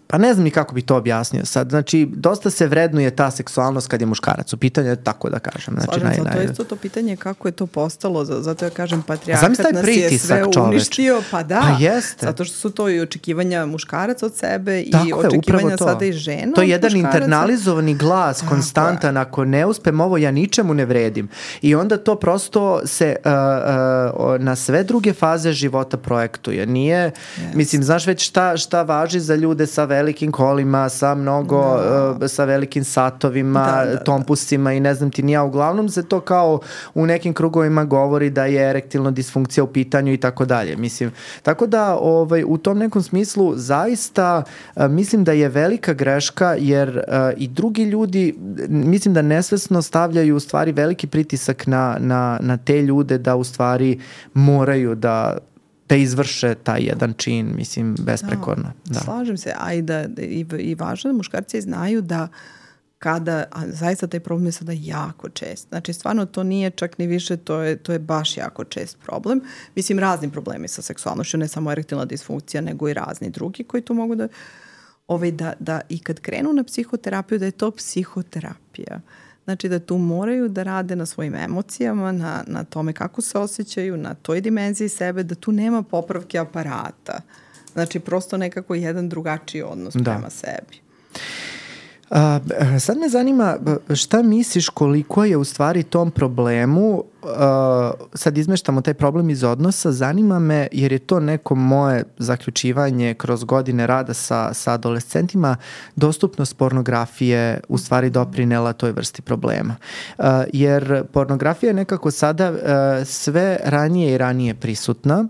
Pa ne znam ni kako bi to objasnio sad. Znači, dosta se vrednuje ta seksualnost kad je muškarac u pitanju, tako da kažem. Znači, slažem se, to je isto to pitanje kako je to postalo, zato ja kažem patrijarhat nas je sve uništio, pa da, pa jeste. Zato što su to i očekivanja muškaraca od sebe i očekivanja sada i žena. To je jedan internalizovani glas, konstantan, ako ne uspem ovo, ja ničemu ne vredim. I onda to prosto se na sve druge faze života projektuje. Nije, mislim, znaš već šta važi za ljude sa velikim kolima, sa mnogo, sa velikim satovima, tompusima i ne znam ti ni ja. Uglavnom se to kao u nekim krugovima govori da je erektilna disfunkcija u pitanju i tako dalje. Mislim, tako da u tom nekom smislu zaista mislim da je velika greška jer i drugi ljudi mislim da nesvesno stavljaju u stvari veliki pritisak na te ljude da u stvari moraju da izvrše taj jedan čin, mislim, besprekorno. Da. Slažem se, a i važno da muškarci znaju da kada, a zaista taj problem je sada jako čest. Znači, stvarno to nije čak ni više, to je baš jako čest problem. Mislim, razni problemi sa seksualnošću, ne samo erektilna disfunkcija, nego i razni drugi koji to mogu da i kad krenu na psihoterapiju, da je to psihoterapija. Znači da tu moraju da rade na svojim emocijama, na tome kako se osjećaju, na toj dimenziji sebe, da tu nema popravke aparata. Znači prosto nekako jedan drugačiji odnos prema sebi. Sad me zanima šta misliš koliko je u stvari tom problemu, sad izmeštamo taj problem iz odnosa, zanima me jer je to neko moje zaključivanje kroz godine rada sa adolescentima, dostupnost pornografije u stvari doprinela toj vrsti problema. Jer pornografija je nekako sada sve ranije i ranije prisutna,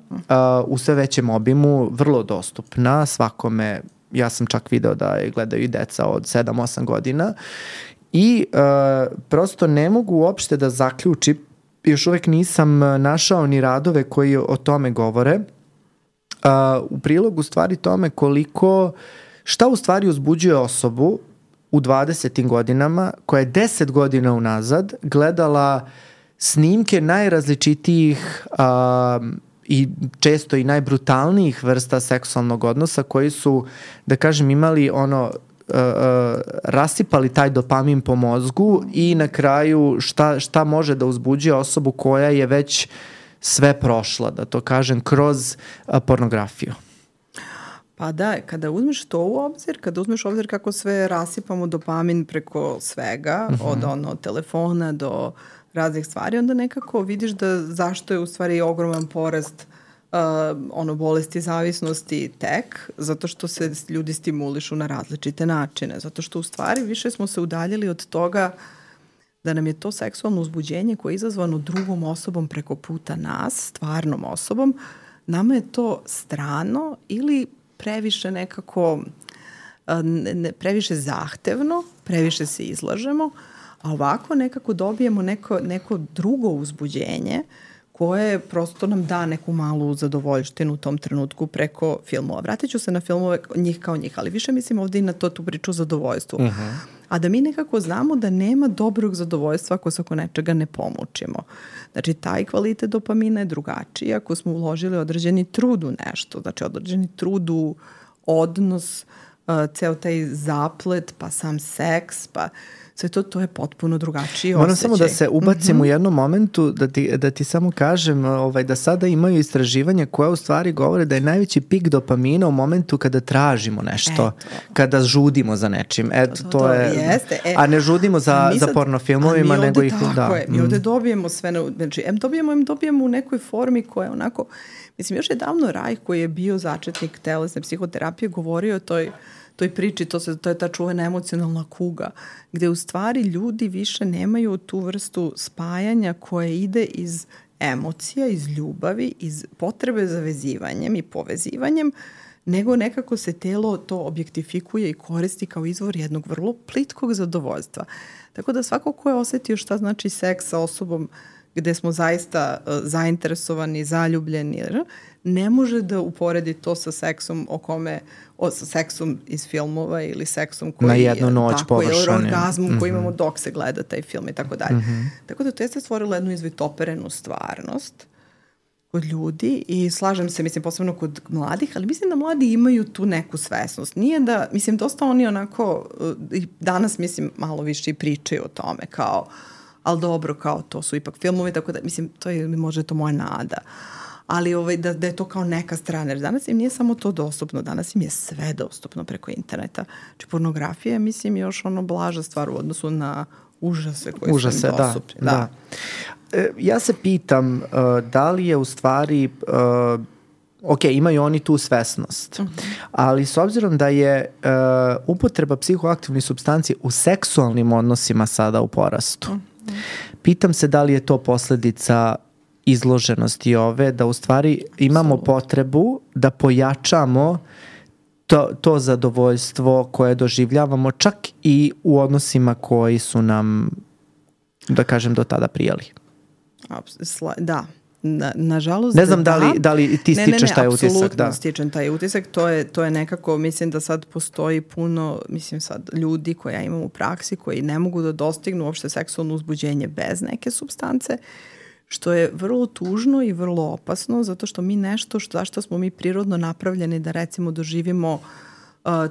u sve većem obimu, vrlo dostupna svakome. Ja sam čak video da je gledaju i deca od 7-8 godina i prosto ne mogu uopšte da zaključim, još uvek nisam našao ni radove koji o tome govore, u prilogu stvari tome šta u stvari uzbuđuje osobu u 20. godinama koja je 10 godina unazad gledala snimke najrazličitijih i često i najbrutalnijih vrsta seksualnog odnosa koji su, da kažem, imali rasipali taj dopamin po mozgu i na kraju šta može da uzbuđuje osobu koja je već sve prošla, da to kažem, kroz pornografiju. Pa da, kada uzmeš to u obzir, kako sve rasipamo dopamin preko svega, od telefona do raznih stvari, onda nekako vidiš da zašto je u stvari ogroman porast bolesti zavisnosti tek, zato što se ljudi stimulišu na različite načine, zato što u stvari više smo se udaljili od toga da nam je to seksualno uzbuđenje koje je izazvano drugom osobom preko puta nas, stvarnom osobom, nama je to strano ili previše nekako, previše zahtevno, previše se izlažemo, a ovako nekako dobijemo neko drugo uzbuđenje koje prosto nam da neku malu zadovoljštinu u tom trenutku preko filmova. Vratit ću se na filmove njih kao njih, ali više mislim ovdje i na tu priču o zadovoljstvu. a da mi nekako znamo da nema dobrog zadovoljstva ako se oko nečega ne pomučimo. Znači, taj kvalitet dopamina je drugačiji ako smo uložili određeni trud u nešto, znači određeni trud u odnos, ceo taj zaplet, pa sam seks, pa sve to je potpuno drugačiji osjećaj. Moram samo da se ubacim u jednom momentu, da ti samo kažem da sada imaju istraživanje koje u stvari govore da je najveći pik dopamina u momentu kada tražimo nešto, kada žudimo za nečim. To je, jeste. A ne žudimo za pornofilmovima, nego ih... Mi ovde dobijemo sve, znači, dobijemo u nekoj formi koja je onako... Mislim, još je davno Raj, koji je bio začetnik telesne psihoterapije, govorio o toj priči, to je ta čuvena emocionalna kuga, gde u stvari ljudi više nemaju tu vrstu spajanja koje ide iz emocija, iz ljubavi, iz potrebe za vezivanjem i povezivanjem, nego nekako se telo to objektifikuje i koristi kao izvor jednog vrlo plitkog zadovoljstva. Tako da svako ko je osetio šta znači seks sa osobom gde smo zaista zainteresovani, zaljubljeni, ne može da uporedi to sa seksom sa seksom iz filmova ili seksom koji na jednu noć površan, ili orgazmom koji imamo dok se gleda taj film i tako dalje. Tako da to jeste stvorilo jednu izvitoperenu stvarnost kod ljudi i slažem se, mislim, posebno kod mladih, ali mislim da mladi imaju tu neku svesnost. Nije da, mislim, dosta oni onako, danas, mislim, malo više i pričaju o tome, kao, ali dobro, kao to su ipak filmovi, tako da, mislim, to je možda to moja nada. Ali da je to kao neka strana. Jer danas im nije samo to dostupno, danas im je sve dostupno preko interneta. Znači, pornografija je, mislim, još blaža stvar u odnosu na užase koji su im dostupni. Da. Ja se pitam da li je u stvari... Ok, imaju oni tu svesnost, ali s obzirom da je upotreba psihoaktivnih supstanci u seksualnim odnosima sada u porastu, pitam se da li je to posledica izloženosti da u stvari imamo potrebu da pojačamo to zadovoljstvo koje doživljavamo čak i u odnosima koji su nam, da kažem, do tada prijali. Da. Nažalost, ne znam da li ti stičeš taj utisak. Apsolutno stičem taj utisak. To je nekako, mislim da sad postoji puno, mislim sad ljudi koje ja imam u praksi koji ne mogu da dostignu uopšte seksualno uzbuđenje bez neke supstance, što je vrlo tužno i vrlo opasno, zato što mi nešto zašto smo mi prirodno napravljeni da recimo doživimo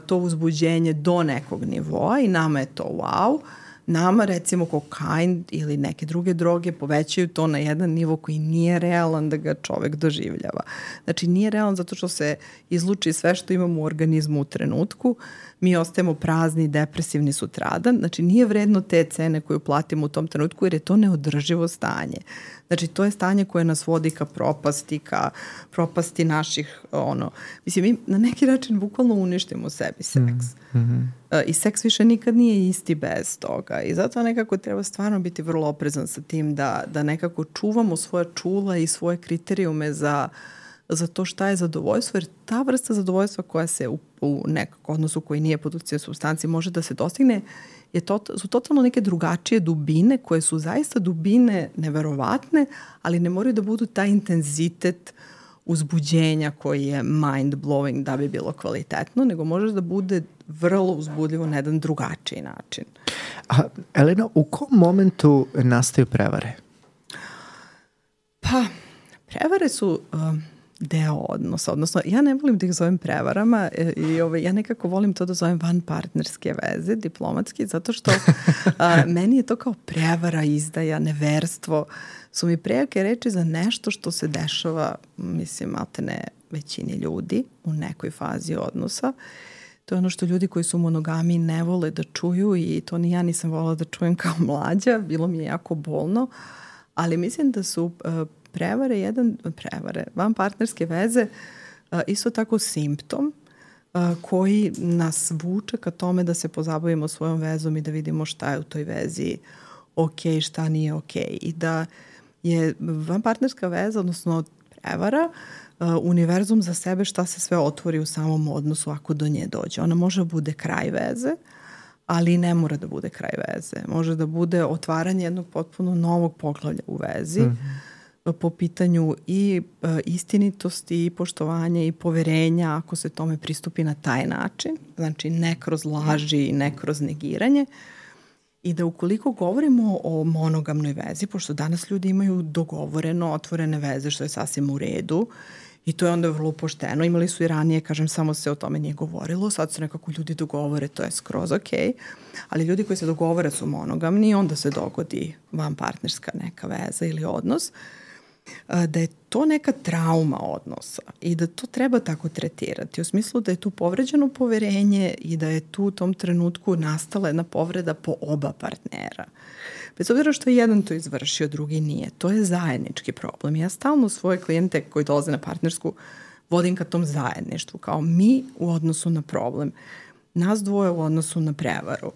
to uzbuđenje do nekog nivoa i nama je to wow. Nama recimo kokain ili neke druge droge povećaju to na jedan nivo koji nije realan da ga čovek doživljava. Znači nije realan zato što se izluči sve što imamo u organizmu u trenutku, mi ostajemo prazni, depresivni sutradan, znači nije vredno te cene koju platimo u tom trenutku jer je to neodrživo stanje. Znači to je stanje koje nas vodi ka propasti naših, mislim mi na neki način bukvalno uništimo sebi seks. I seks više nikad nije isti bez toga i zato nekako treba stvarno biti vrlo oprezan sa tim da nekako čuvamo svoja čula i svoje kriterijume za to šta je zadovoljstvo, jer ta vrsta zadovoljstva koja se u nekako odnosu koji nije produkcija supstanci može da se dostigne su totalno neke drugačije dubine koje su zaista dubine neverovatne, ali ne moraju da budu taj intenzitet uzbuđenja koji je mind blowing da bi bilo kvalitetno, nego može da bude vrlo uzbudljivo na jedan drugačiji način. Elena, u kom momentu nastaju prevare? Pa, prevare su deo odnosa, odnosno ja ne volim da ih zovem prevarama i ja nekako volim to da zovem vanpartnerske veze, diplomatski, zato što meni je to kao prevara, izdaja, neverstvo, su mi prejake reči za nešto što se dešava, mislim, maltene većini ljudi u nekoj fazi odnosa. To je ono što ljudi koji su monogami ne vole da čuju i to ni ja nisam volila da čujem kao mlađa, bilo mi je jako bolno, ali mislim da su prevare, vanpartnerske veze isto tako simptom koji nas vuče ka tome da se pozabavimo svojom vezom i da vidimo šta je u toj vezi ok, šta nije ok. I da je vanpartnerska veza, odnosno prevara, univerzum za sebe šta se sve otvori u samom odnosu ako do nje dođe. Ona može da bude kraj veze, ali ne mora da bude kraj veze. Može da bude otvaranje jednog potpuno novog poglavlja u vezi. po pitanju i istinitosti i poštovanja i poverenja ako se tome pristupi na taj način, znači ne kroz laži i ne kroz negiranje. I da ukoliko govorimo o monogamnoj vezi, pošto danas ljudi imaju dogovoreno otvorene veze, što je sasvim u redu, i to je onda vrlo pošteno. Imali su i ranije, kažem, samo se o tome nije govorilo, sad se nekako ljudi dogovore, to je skroz okej. Ali ljudi koji se dogovore su monogamni, onda se dogodi vanpartnerska neka veza ili odnos, da je to neka trauma odnosa i da to treba tako tretirati. U smislu da je tu povređeno poverenje i da je tu u tom trenutku nastala jedna povreda po oba partnera. Bez obzira što je jedan to izvršio, drugi nije. To je zajednički problem. Ja stalno svoje klijente koji dolaze na partnersku vodim ka tom zajedništvu, kao mi u odnosu na problem. Nas dvoje u odnosu na prevaru,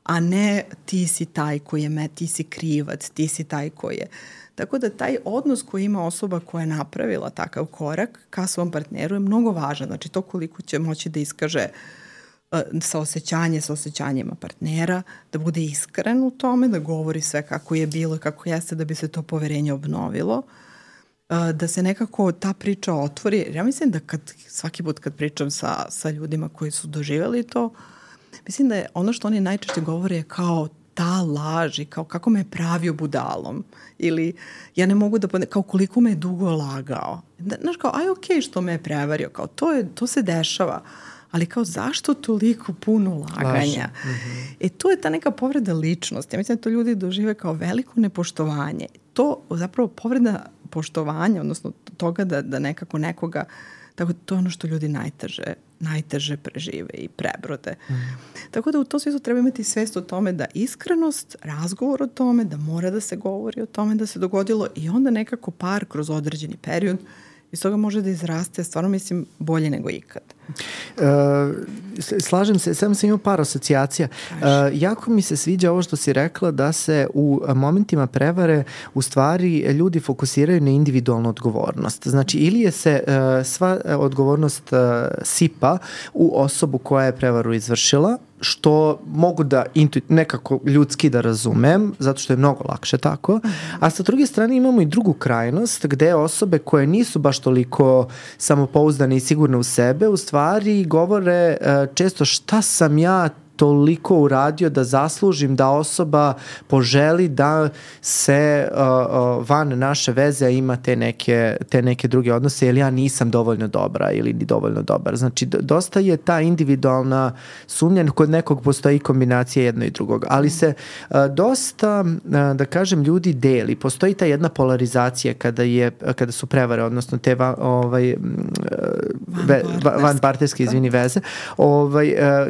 a ne ti si taj koji je ti si krivac, ti si taj koji je. Tako da taj odnos koji ima osoba koja je napravila takav korak ka svom partneru je mnogo važan. Znači to koliko će moći da iskaže sa osjećanjima partnera, da bude iskren u tome, da govori sve kako je bilo i kako jeste da bi se to poverenje obnovilo, da se nekako ta priča otvori. Ja mislim da svaki put kad pričam sa ljudima koji su doživjeli to, mislim da je ono što oni najčešće govore je kao ta laž i kao kako me je pravio budalom ili ja ne mogu da kao koliko me je dugo lagao. Znaš kao, aj okej što me je prevario, kao to se dešava, ali kao zašto toliko puno laganja? To je ta neka povreda ličnosti. Ja mislim da to ljudi dožive kao veliko nepoštovanje. To zapravo povreda poštovanja, odnosno toga da nekako nekoga, tako to je ono što ljudi najteže prežive i prebrode. Tako da u tom smislu treba imati svest o tome da iskrenost, razgovor o tome, da mora da se govori o tome da se dogodilo i onda nekako par kroz određeni period iz toga može da izraste, stvarno mislim, bolje nego ikad. Slažem se, samo sam imao par asocijacija. Jako mi se sviđa ovo što si rekla da se u momentima prevare u stvari ljudi fokusiraju na individualnu odgovornost. Znači, ili je se sva odgovornost sipa u osobu koja je prevaru izvršila, što mogu da nekako ljudski da razumem, zato što je mnogo lakše tako, a sa druge strane imamo i drugu krajnost gde osobe koje nisu baš toliko samopouzdane i sigurne u sebe, u stvari govore često šta sam ja toliko uradio da zaslužim da osoba poželi da se van naše veze ima te neke druge odnose, jer ja nisam dovoljno dobra ili ni dovoljno dobar. Znači, dosta je ta individualna sumnja, kod nekog postoji kombinacija jedno i drugog, ali se dosta, da kažem, ljudi deli. Postoji ta jedna polarizacija kada su prevare, odnosno te vanpartnerske veze,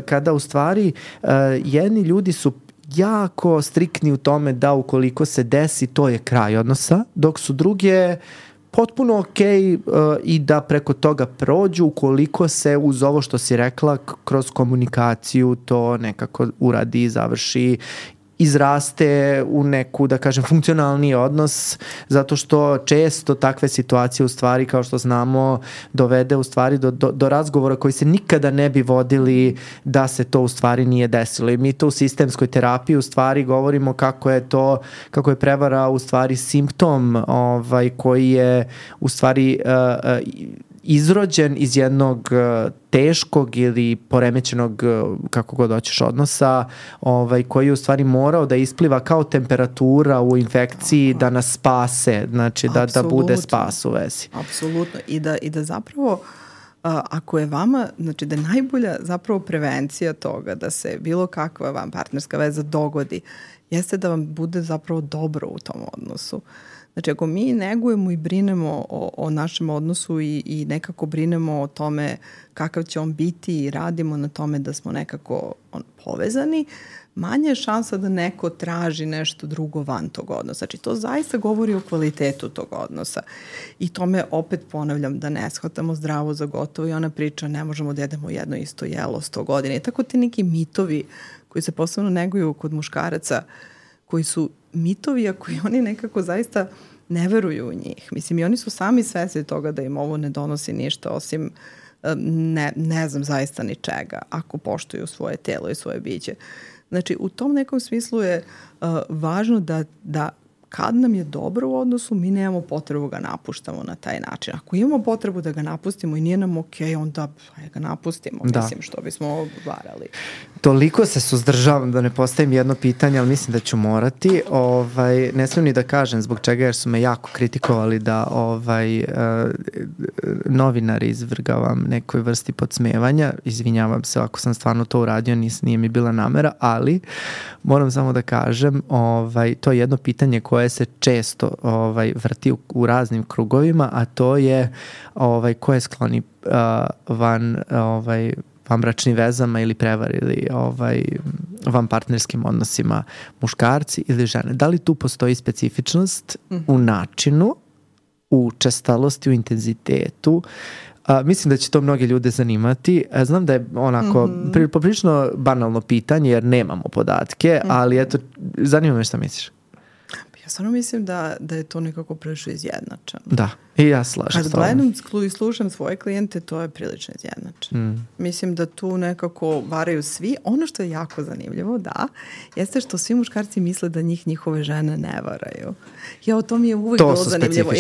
kada u stvari jedni ljudi su jako striktni u tome da ukoliko se desi, to je kraj odnosa, dok su druge potpuno okej i da preko toga prođu ukoliko se uz ovo što si rekla kroz komunikaciju to nekako uradi i završi, izraste u neku, da kažem, funkcionalni odnos, zato što često takve situacije u stvari, kao što znamo, dovede u stvari do razgovora koji se nikada ne bi vodili da se to u stvari nije desilo. I mi to u sistemskoj terapiji u stvari govorimo kako je prevara u stvari simptom koji je u stvari izrođen iz jednog teškog ili poremećenog, kako god hoćeš, odnosa, koji je u stvari morao da ispliva kao temperatura u infekciji da nas spase, znači da bude spas u vezi. Apsolutno. I da zapravo ako je vama, znači da je najbolja zapravo prevencija toga da se bilo kakva vam partnerska veza dogodi, jeste da vam bude zapravo dobro u tom odnosu. Znači, ako mi negujemo i brinemo o našem odnosu i nekako brinemo o tome kakav će on biti i radimo na tome da smo nekako povezani, manje je šansa da neko traži nešto drugo van tog odnosa. Znači, to zaista govori o kvalitetu tog odnosa. I tome opet ponavljam da ne shvatamo zdravo za gotovo i ona priča ne možemo da jedemo jedno isto jelo 100 godina. I tako ti neki mitovi koji se posebno neguju kod muškaraca, koji su mitovi, a koji oni nekako zaista ne veruju u njih. Mislim, i oni su sami svesni toga da im ovo ne donosi ništa osim ne znam zaista ni čega, ako poštuju svoje telo i svoje biće. Znači, u tom nekom smislu je važno da kad nam je dobro u odnosu, mi nemamo potrebu ga napuštamo na taj način. Ako imamo potrebu da ga napustimo i nije nam okej, onda ga napustimo, mislim, što bismo varali. Toliko se suzdržavam da ne postavim jedno pitanje, ali mislim da ću morati. Ne smijem ni da kažem zbog čega, jer su me jako kritikovali da novinari izvrgavam nekoj vrsti podsmevanja. Izvinjavam se ako sam stvarno to uradio, nije mi bila namera, ali moram samo da kažem, to je jedno pitanje koje se često vrti u raznim krugovima, a to je ko je skloni vanbračnim vezama ili prevari ili vanpartnerskim odnosima, muškarci ili žene. Da li tu postoji specifičnost u načinu, u učestalosti, u intenzitetu? Mislim da će to mnoge ljude zanimati. Znam da je onako poprilično banalno pitanje jer nemamo podatke, ali eto, zanima me šta misliš. Ja stvarno mislim da je to nekako prilično izjednačeno. Da, i ja slažem. Kad gledam i slušam svoje klijente, to je prilično izjednačeno. Mislim da tu nekako varaju svi. Ono što je jako zanimljivo, jeste što svi muškarci misle da njihove žene ne varaju. To mi je uvijek bilo zanimljivo.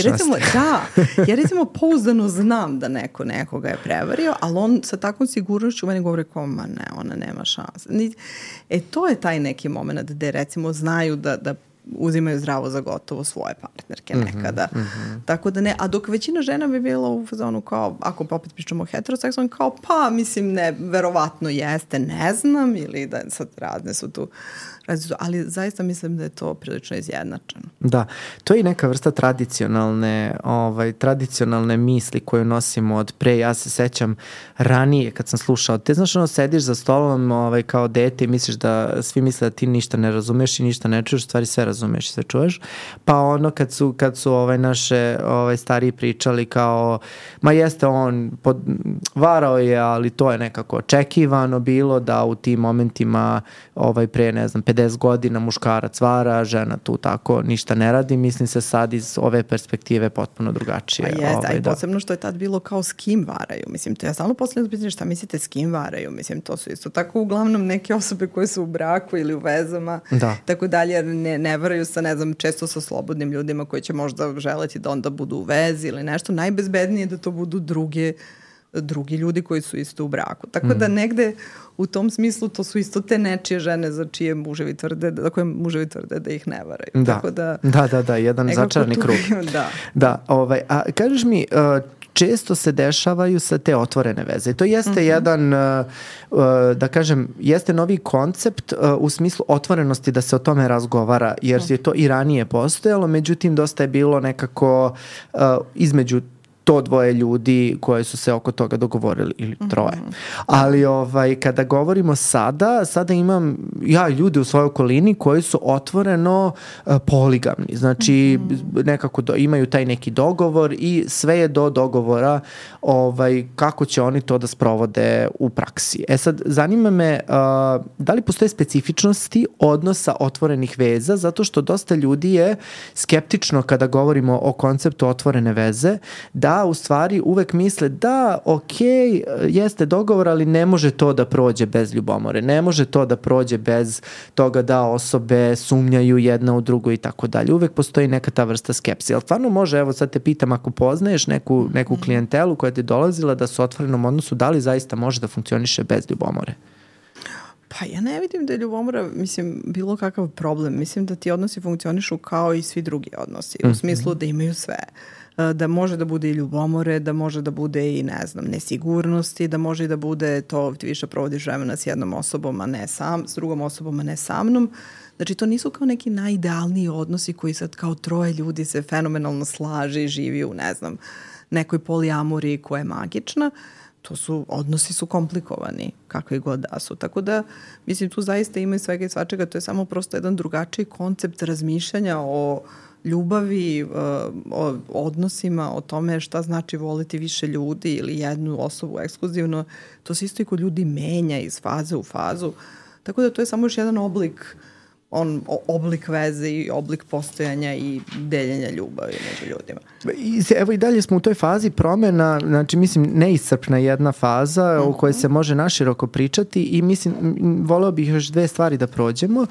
Ja recimo pouzdano znam da nekoga je prevario, ali on sa takvom sigurnošću meni govori kao, ma ne, ona nema šanse. To je taj neki moment gde recimo znaju da uzimaju zdravo za gotovo svoje partnerke nekada. Tako da ne, a dok većina žena bi bila u fazonu kao, ako opet pričamo o heteroseksualnom, kao pa mislim ne, verovatno jeste, ne znam, ili da sad razne su tu, ali zaista mislim da je to prilično izjednačeno. Da, to je i neka vrsta tradicionalne misli koju nosimo od pre. Ja se sećam ranije kad sam slušao, te znaš sediš za stolom kao dete i misliš da svi misle da ti ništa ne razumeš i ništa ne čuješ, stvari sve razumeš i sve čuješ, pa kad su naše stariji pričali kao, ma jeste on varao je, ali to je nekako očekivano bilo da u tim momentima pre, ne znam, 50 godina muškarac vara, žena tu tako ništa ne radi. Mislim se sad iz ove perspektive potpuno drugačije. Pa jeste, i posebno što je tad bilo kao s kim varaju. Mislim, to ja stalno posljedno pitanje šta mislite s kim varaju. Mislim, to su isto tako uglavnom neke osobe koje su u braku ili u vezama. Tako dalje, jer ne varaju sa, ne znam, često sa slobodnim ljudima koji će možda želeti da onda budu u vezi ili nešto. Najbezbednije je da to budu drugi ljudi koji su isto u braku. Tako da negde u tom smislu to su isto te nečije žene za koje muževi tvrde da ih ne varaju. Da, jedan začarni krug. A kažeš mi, često se dešavaju sa te otvorene veze. To jeste jedan, da kažem, jeste novi koncept u smislu otvorenosti da se o tome razgovara, jer je to i ranije postojalo, međutim dosta je bilo nekako između to dvoje ljudi koje su se oko toga dogovorili ili troje. Ali kada govorimo sada imam ja ljude u svojoj okolini koji su otvoreno poligamni. Znači nekako imaju taj neki dogovor i sve je do dogovora kako će oni to da sprovode u praksi. Sad, zanima me da li postoje specifičnosti odnosa otvorenih veza, zato što dosta ljudi je skeptično kada govorimo o konceptu otvorene veze, da u stvari uvek misle da, jeste dogovor, ali ne može to da prođe bez ljubomore, ne može to da prođe bez toga da osobe sumnjaju jedna u drugu i tako dalje. Uvek postoji neka ta vrsta skepse. Ali stvarno može, evo sad te pitam, ako poznaješ neku klijentelu koja ti je dolazila da su u otvorenom odnosu, da li zaista može da funkcioniše bez ljubomore? Pa ja ne vidim da je ljubomora, mislim, bilo kakav problem. Mislim da ti odnosi funkcionišu kao i svi drugi odnosi. U smislu da imaju sve. Da može da bude i ljubomore, da može da bude i, ne znam, nesigurnosti, da može i da bude to ti više provodiš vremena s jednom osobom, a ne s drugom osobom, a ne sa mnom. Znači, to nisu kao neki najidealniji odnosi koji sad kao troje ljudi se fenomenalno slaže i živi u, ne znam, nekoj polijamoriji koja je magična. Odnosi su komplikovani, kakvi god da su. Tako da, mislim, tu zaista ima i svega i svačega. To je samo prosto jedan drugačiji koncept razmišljanja o ljubavi, o odnosima, o tome šta znači voliti više ljudi ili jednu osobu ekskluzivno. To se isto i kod ljudi menja iz faze u fazu. Tako da to je samo još jedan oblik oblik veze i oblik postojanja i deljenja ljubavi među ljudima. Evo i dalje smo u toj fazi promena, znači mislim neiscrpna jedna faza o kojoj se može naširoko pričati i mislim, voleo bih još dve stvari da prođemo.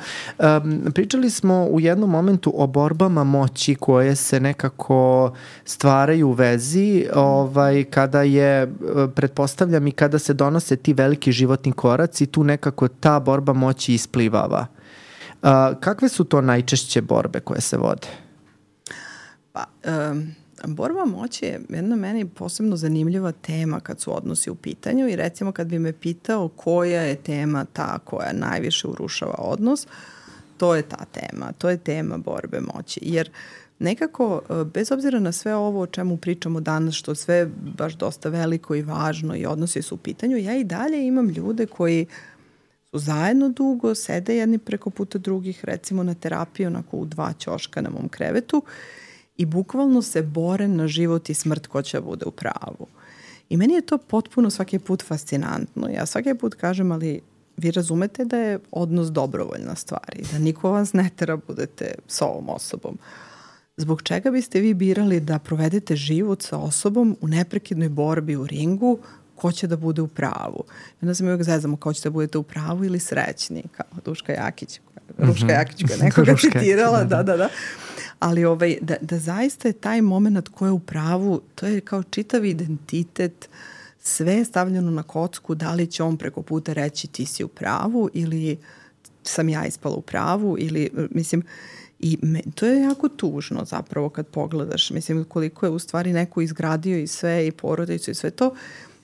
Pričali smo u jednom momentu o borbama moći koje se nekako stvaraju u vezi kada je, pretpostavljam i kada se donose ti veliki životni koraci, tu nekako ta borba moći isplivava. Kakve su to najčešće borbe koje se vode? Pa, borba moći je jedna meni posebno zanimljiva tema kad su odnosi u pitanju i recimo kad bi me pitao koja je tema ta koja najviše urušava odnos, to je ta tema, to je tema borbe moći. Jer nekako, bez obzira na sve ovo o čemu pričamo danas, što sve baš dosta veliko i važno i odnosi su u pitanju, ja i dalje imam ljude koji su zajedno dugo, sede jedni preko puta drugih, recimo na terapiji, onako u 2 ćoška na mom krevetu i bukvalno se bore na život i smrt ko će bude u pravu. I meni je to potpuno svaki put fascinantno. Ja svaki put kažem, ali vi razumete da je odnos dobrovoljna stvar i da niko vas ne tera budete s ovom osobom. Zbog čega biste vi birali da provedete život sa osobom u neprekidnoj borbi u ringu ko će da bude u pravu? I onda se mi uvijek zezamo kao ćete da budete u pravu ili srećni, kao Duška Jakić, Ruška Jakić koja je nekoga citirala, da. Ali da zaista je taj moment ko je u pravu, to je kao čitav identitet, sve je stavljeno na kocku, da li će on preko puta reći ti si u pravu ili sam ja ispala u pravu ili, mislim, i to je jako tužno zapravo kad pogledaš, mislim, koliko je u stvari neko izgradio i sve i porodicu i sve to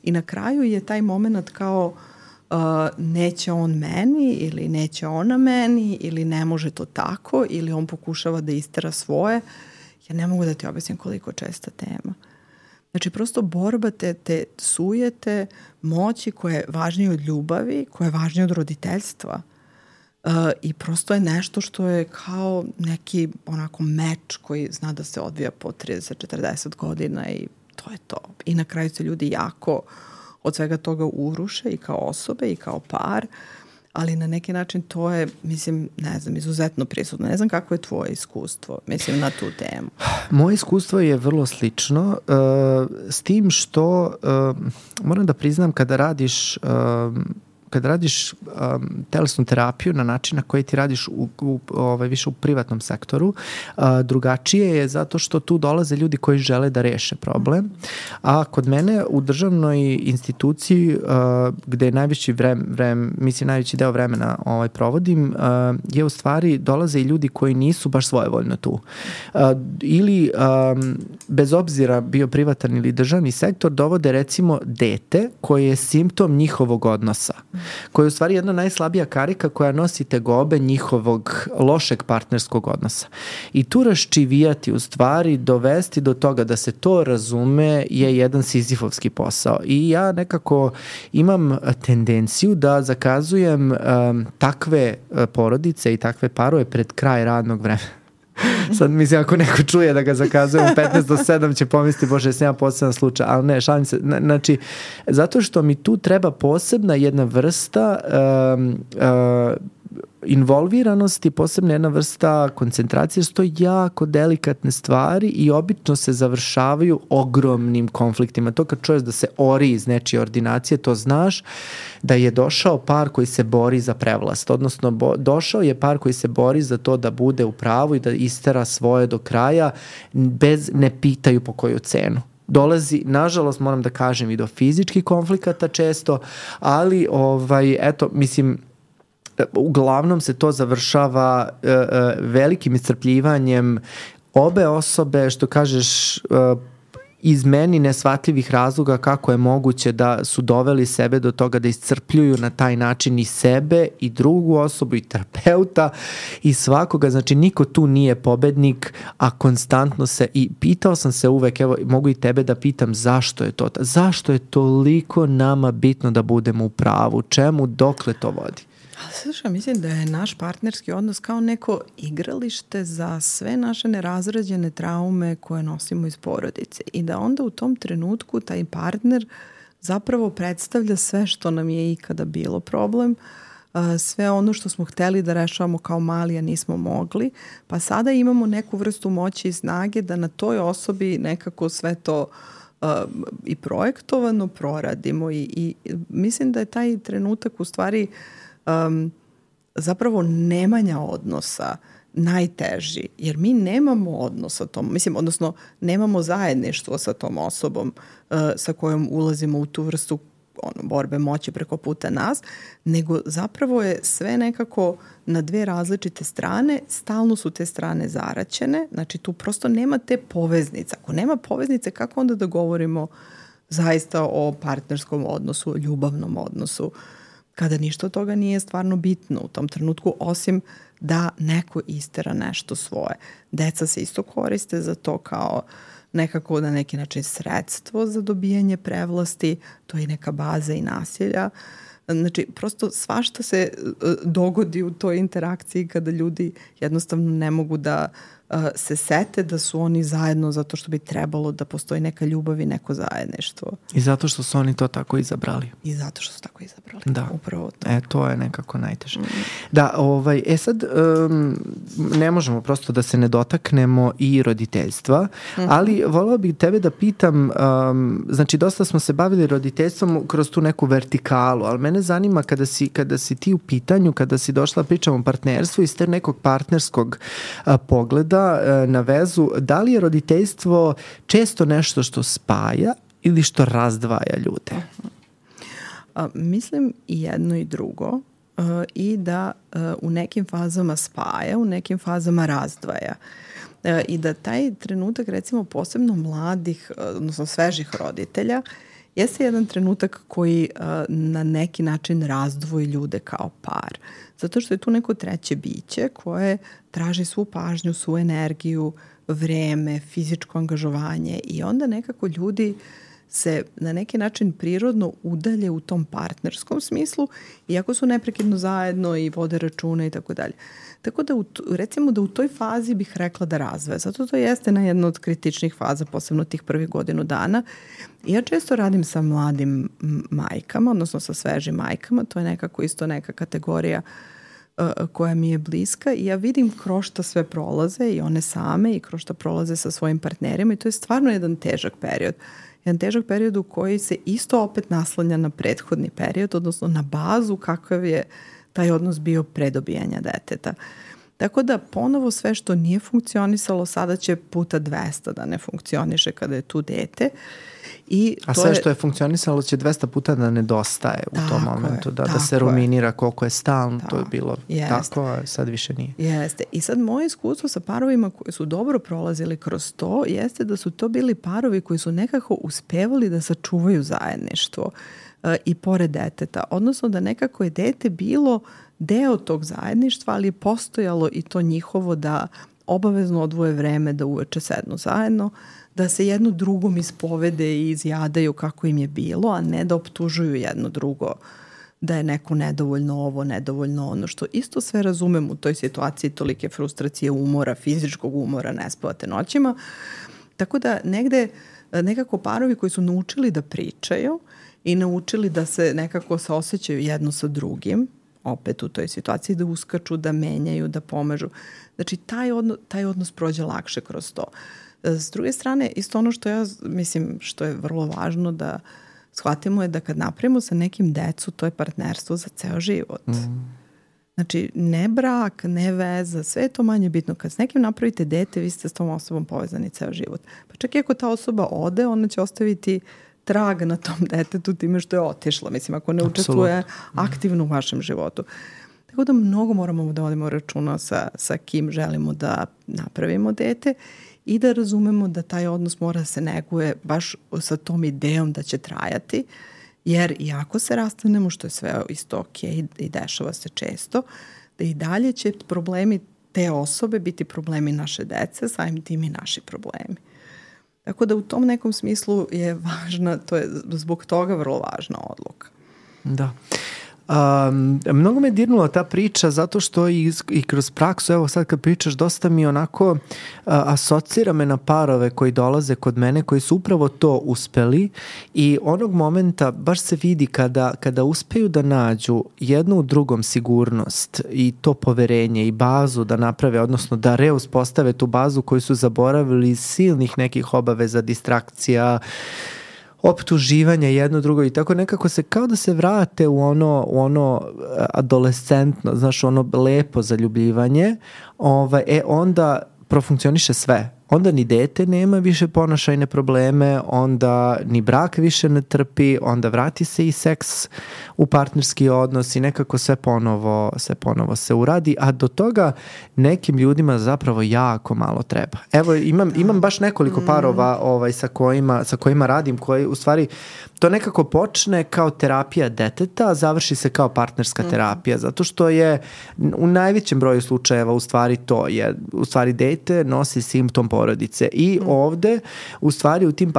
i na kraju je taj moment kao neće on meni ili neće ona meni ili ne može to tako ili on pokušava da istera svoje. Ja ne mogu da ti objasnim koliko česta tema. Znači prosto borba te sujete moći koja je važnija od ljubavi, koja je važnija od roditeljstva. I prosto je nešto što je kao neki onako meč koji zna da se odvija po 30-40 godina i to je to. I na kraju se ljudi jako od svega toga uruše i kao osobe i kao par, ali na neki način to je, mislim, ne znam, izuzetno prisutno. Ne znam kako je tvoje iskustvo, mislim, na tu temu. Moje iskustvo je vrlo slično, s tim što moram da priznam kada radiš telesnu terapiju na način na koji ti radiš više u privatnom sektoru, drugačije je zato što tu dolaze ljudi koji žele da reše problem, a kod mene u državnoj instituciji gde najveći najveći deo vremena provodim je u stvari dolaze i ljudi koji nisu baš svojevoljno tu. Ili bez obzira bio privatan ili državni sektor dovode recimo dete koje je simptom njihovog odnosa, koja je u stvari jedna najslabija karika koja nosi tegobe njihovog lošeg partnerskog odnosa. I tu raščivijati u stvari, dovesti do toga da se to razume je jedan sizifovski posao. I ja nekako imam tendenciju da zakazujem takve porodice i takve parove pred kraj radnog vremena. Sad mislim ako neko čuje da ga zakazujem 15 do 7 će pomisliti bože jesam ja poseban slučaj, ali ne, šalim se, znači zato što mi tu treba posebna jedna vrsta involviranosti, posebna jedna vrsta koncentracije, što je jako delikatne stvari i obično se završavaju ogromnim konfliktima. To kad čuješ da se ori iz nečije ordinacije, to znaš da je došao par koji se bori za prevlast, odnosno došao je par koji se bori za to da bude u pravu i da istera svoje do kraja, ne pitaju po koju cenu. Dolazi, nažalost moram da kažem, i do fizičkih konflikata često, ali eto, mislim, uglavnom se to završava velikim iscrpljivanjem obe osobe, što kažeš, iz meni nesvatljivih razloga kako je moguće da su doveli sebe do toga da iscrpljuju na taj način i sebe i drugu osobu i terapeuta i svakoga, znači niko tu nije pobednik, a konstantno se, i pitao sam se uvek, evo mogu i tebe da pitam zašto je to, zašto je toliko nama bitno da budemo u pravu, čemu, dokle to vodi? Ali slušaj, mislim da je naš partnerski odnos kao neko igralište za sve naše nerazrađene traume koje nosimo iz porodice i da onda u tom trenutku taj partner zapravo predstavlja sve što nam je ikada bilo problem, sve ono što smo hteli da rešavamo kao mali, a nismo mogli, pa sada imamo neku vrstu moći i snage da na toj osobi nekako sve to i projektovano proradimo i mislim da je taj trenutak u stvari zapravo nemanja odnosa najteži, jer mi nemamo odnos sa tom, odnosno nemamo zajedništvo sa tom osobom sa kojom ulazimo u tu vrstu borbe moći preko puta nas, nego zapravo je sve nekako na dve različite strane, stalno su te strane zaraćene, znači tu prosto nema te poveznice. Ako nema poveznice, kako onda da govorimo zaista o partnerskom odnosu, o ljubavnom odnosu, kada ništa od toga nije stvarno bitno u tom trenutku, osim da neko istera nešto svoje. Deca se isto koriste za to kao nekako na neki način sredstvo za dobijanje prevlasti, to je neka baza i nasilja. Znači, prosto svašta se dogodi u toj interakciji kada ljudi jednostavno ne mogu da se sete da su oni zajedno zato što bi trebalo da postoji neka ljubav i neko zajedništvo. I zato što su oni to tako izabrali. I zato što su tako izabrali. Da. Upravo to. To je nekako najteže. Da, sad ne možemo prosto da se ne dotaknemo i roditeljstva, ali voleo bih tebe da pitam, znači dosta smo se bavili roditeljstvom kroz tu neku vertikalu, ali mene zanima kada si ti u pitanju, kada si došla pričamo o partnerstvu iz te nekog partnerskog pogleda na vezu, da li je roditeljstvo često nešto što spaja ili što razdvaja ljude? Mislim i jedno i drugo i da u nekim fazama spaja, u nekim fazama razdvaja. I da taj trenutak, recimo posebno mladih, odnosno svežih roditelja, jeste jedan trenutak koji na neki način razdvoji ljude kao par. Zato što je tu neko treće biće koje traži svu pažnju, svu energiju, vreme, fizičko angažovanje i onda nekako ljudi se na neki način prirodno udalje u tom partnerskom smislu, iako su neprekidno zajedno i vode račune i tako dalje. Tako da recimo da u toj fazi bih rekla da razvoja. Zato to jeste na jedna od kritičnih faza, posebno tih prvih godinu dana. I ja često radim sa mladim majkama, odnosno sa svežim majkama. To je nekako isto neka kategorija koja mi je bliska i ja vidim kroz šta sve prolaze i one same i kroz šta prolaze sa svojim partnerima i to je stvarno jedan težak period. Jedan težak period u koji se isto opet naslanja na prethodni period, odnosno na bazu kakav je taj odnos bio pre dobijanja deteta. Tako da ponovo sve što nije funkcionisalo sada će puta 200 da ne funkcioniše kada je tu dete. A sve što je funkcionisalo će 200 puta da nedostaje u tom momentu, da se ruminira koliko je stalno, to je bilo tako, a sad više nije. Jeste. I sad moje iskustvo sa parovima koji su dobro prolazili kroz to jeste da su to bili parovi koji su nekako uspevali da sačuvaju zajedništvo i pored deteta. Odnosno da nekako je dete bilo deo tog zajedništva, ali je postojalo i to njihovo da obavezno odvoje vreme da uveče sednu zajedno, da se jedno drugom ispovede i izjadaju kako im je bilo, a ne da optužuju jedno drugo da je neko nedovoljno ovo, nedovoljno ono, što isto sve razumem u toj situaciji tolike frustracije, umora, fizičkog umora, ne spavate noćima. Tako da nekako parovi koji su naučili da pričaju i naučili da se nekako saosećaju jedno sa drugim, opet u toj situaciji, da uskaču, da menjaju, da pomažu. Znači, taj odnos prođe lakše kroz to. S druge strane, isto ono što ja mislim što je vrlo važno da shvatimo je da kad napravimo sa nekim decu, to je partnerstvo za ceo život. Znači, ne brak, ne veza, sve je to manje bitno. Kad s nekim napravite dete, vi ste s tom osobom povezani ceo život. Pa čak i ako ta osoba ode, ona će ostaviti trag na tom detetu time što je otišla. Mislim, ako ne učestvuje aktivno u vašem životu. Tako da mnogo moramo da vodimo računa sa kim želimo da napravimo dete i da razumemo da taj odnos mora da se neguje baš sa tom idejom da će trajati, jer iako se rastanemo, što je sve isto ok i dešava se često, da i dalje će problemi te osobe biti problemi naše dece, samim tim i naši problemi. Tako da u tom nekom smislu je važna, to je zbog toga vrlo važna odluka. Da. Mnogo me dirnula ta priča zato što i kroz praksu, evo sad kad pričaš, dosta mi onako asocira me na parove koji dolaze kod mene, koji su upravo to uspeli i onog momenta baš se vidi kada uspeju da nađu jednu u drugom sigurnost i to poverenje i bazu da naprave, odnosno da reuspostave tu bazu koju su zaboravili iz silnih nekih obaveza, distrakcija, optuživanja jedno drugo i tako nekako se kao da se vrate u ono adolescentno, znaš, ono lepo zaljubljivanje, onda profunkcioniše sve. Onda ni dete nema više ponašajne probleme, onda ni brak više ne trpi, onda vrati se i seks u partnerski odnos i nekako sve ponovo se uradi, a do toga nekim ljudima zapravo jako malo treba. Evo, imam baš nekoliko parova sa kojima radim, koji u stvari to nekako počne kao terapija deteta, a završi se kao partnerska terapija, zato što je u najvećem broju slučajeva u stvari to je, u stvari dete nosi simptom porodice i ovde u stvari u tim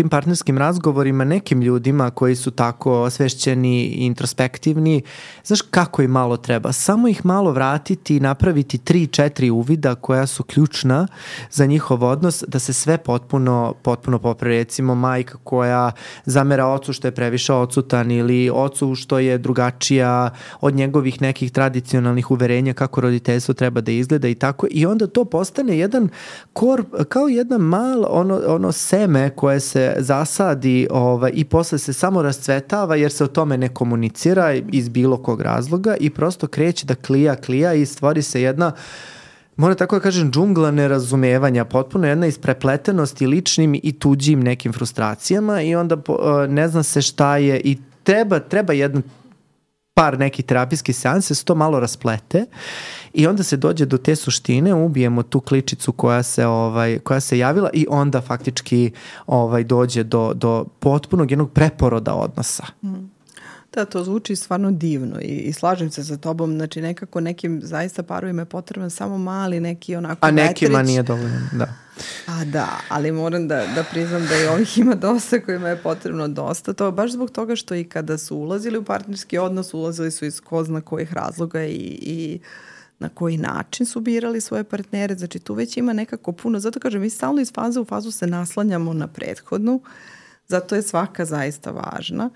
partnerskim razgovorima nekim ljudima koji su tako osvešćeni i introspektivni, znaš kako im malo treba? Samo ih malo vratiti i napraviti 3-4 uvida koja su ključna za njihov odnos, da se sve potpuno popravi. Recimo majka koja zamera ocu što je previše odsutan ili ocu što je drugačija od njegovih nekih tradicionalnih uverenja kako roditeljstvo treba da izgleda i tako. I onda to postane jedan kao jedna malo ono seme koje se zasadi i posle se samo rascvetava jer se o tome ne komunicira iz bilo kog razloga i prosto kreće da klija i stvori se jedna, moram tako da kažem, džungla nerazumevanja, potpuno jedna isprepletenost i ličnim i tuđim nekim frustracijama i onda ne zna se šta je i treba jedan par nekih terapijskih seansa, se to malo rasplete i onda se dođe do te suštine, ubijemo tu kličicu koja se javila i onda faktički dođe do potpunog jednog preporoda odnosa. Da, to zvuči stvarno divno i slažem se sa tobom, znači nekako nekim zaista parovima je potreban samo mali neki onako a nekima vetrić. Nije dovoljno, da. A da, ali moram da priznam da i ovih ima dosta kojima je potrebno dosta. To baš zbog toga što i kada su ulazili u partnerski odnos, ulazili su iz ko zna kojih razloga i na koji način su birali svoje partnere. Znači tu već ima nekako puno. Zato kažem, mi stalno iz faze u fazu se naslanjamo na prethodnu. Zato je svaka zaista važna.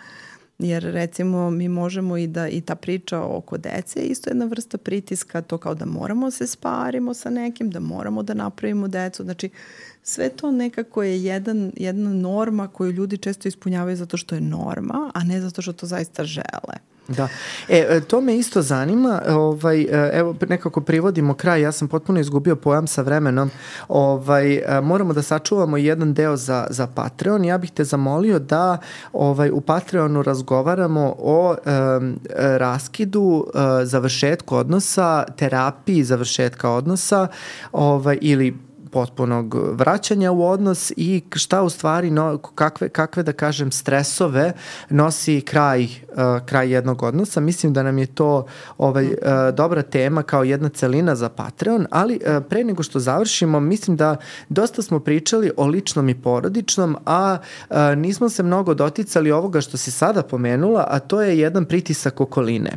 Jer recimo mi možemo i ta priča oko dece je isto jedna vrsta pritiska, to kao da moramo se sparimo sa nekim, da moramo da napravimo decu. Znači sve to nekako je jedna norma koju ljudi često ispunjavaju zato što je norma, a ne zato što to zaista žele. Da. To me isto zanima, evo nekako privodimo kraj, ja sam potpuno izgubio pojam sa vremenom, moramo da sačuvamo jedan deo za Patreon, ja bih te zamolio da u Patreonu razgovaramo o raskidu, završetku odnosa, terapiji završetka odnosa ili potpunog vraćanja u odnos i šta u stvari, kakve da kažem stresove nosi kraj jednog odnosa. Mislim da nam je to dobra tema kao jedna celina za Patreon, ali pre nego što završimo, mislim da dosta smo pričali o ličnom i porodičnom, a nismo se mnogo doticali ovoga što si sada pomenula, a to je jedan pritisak okoline.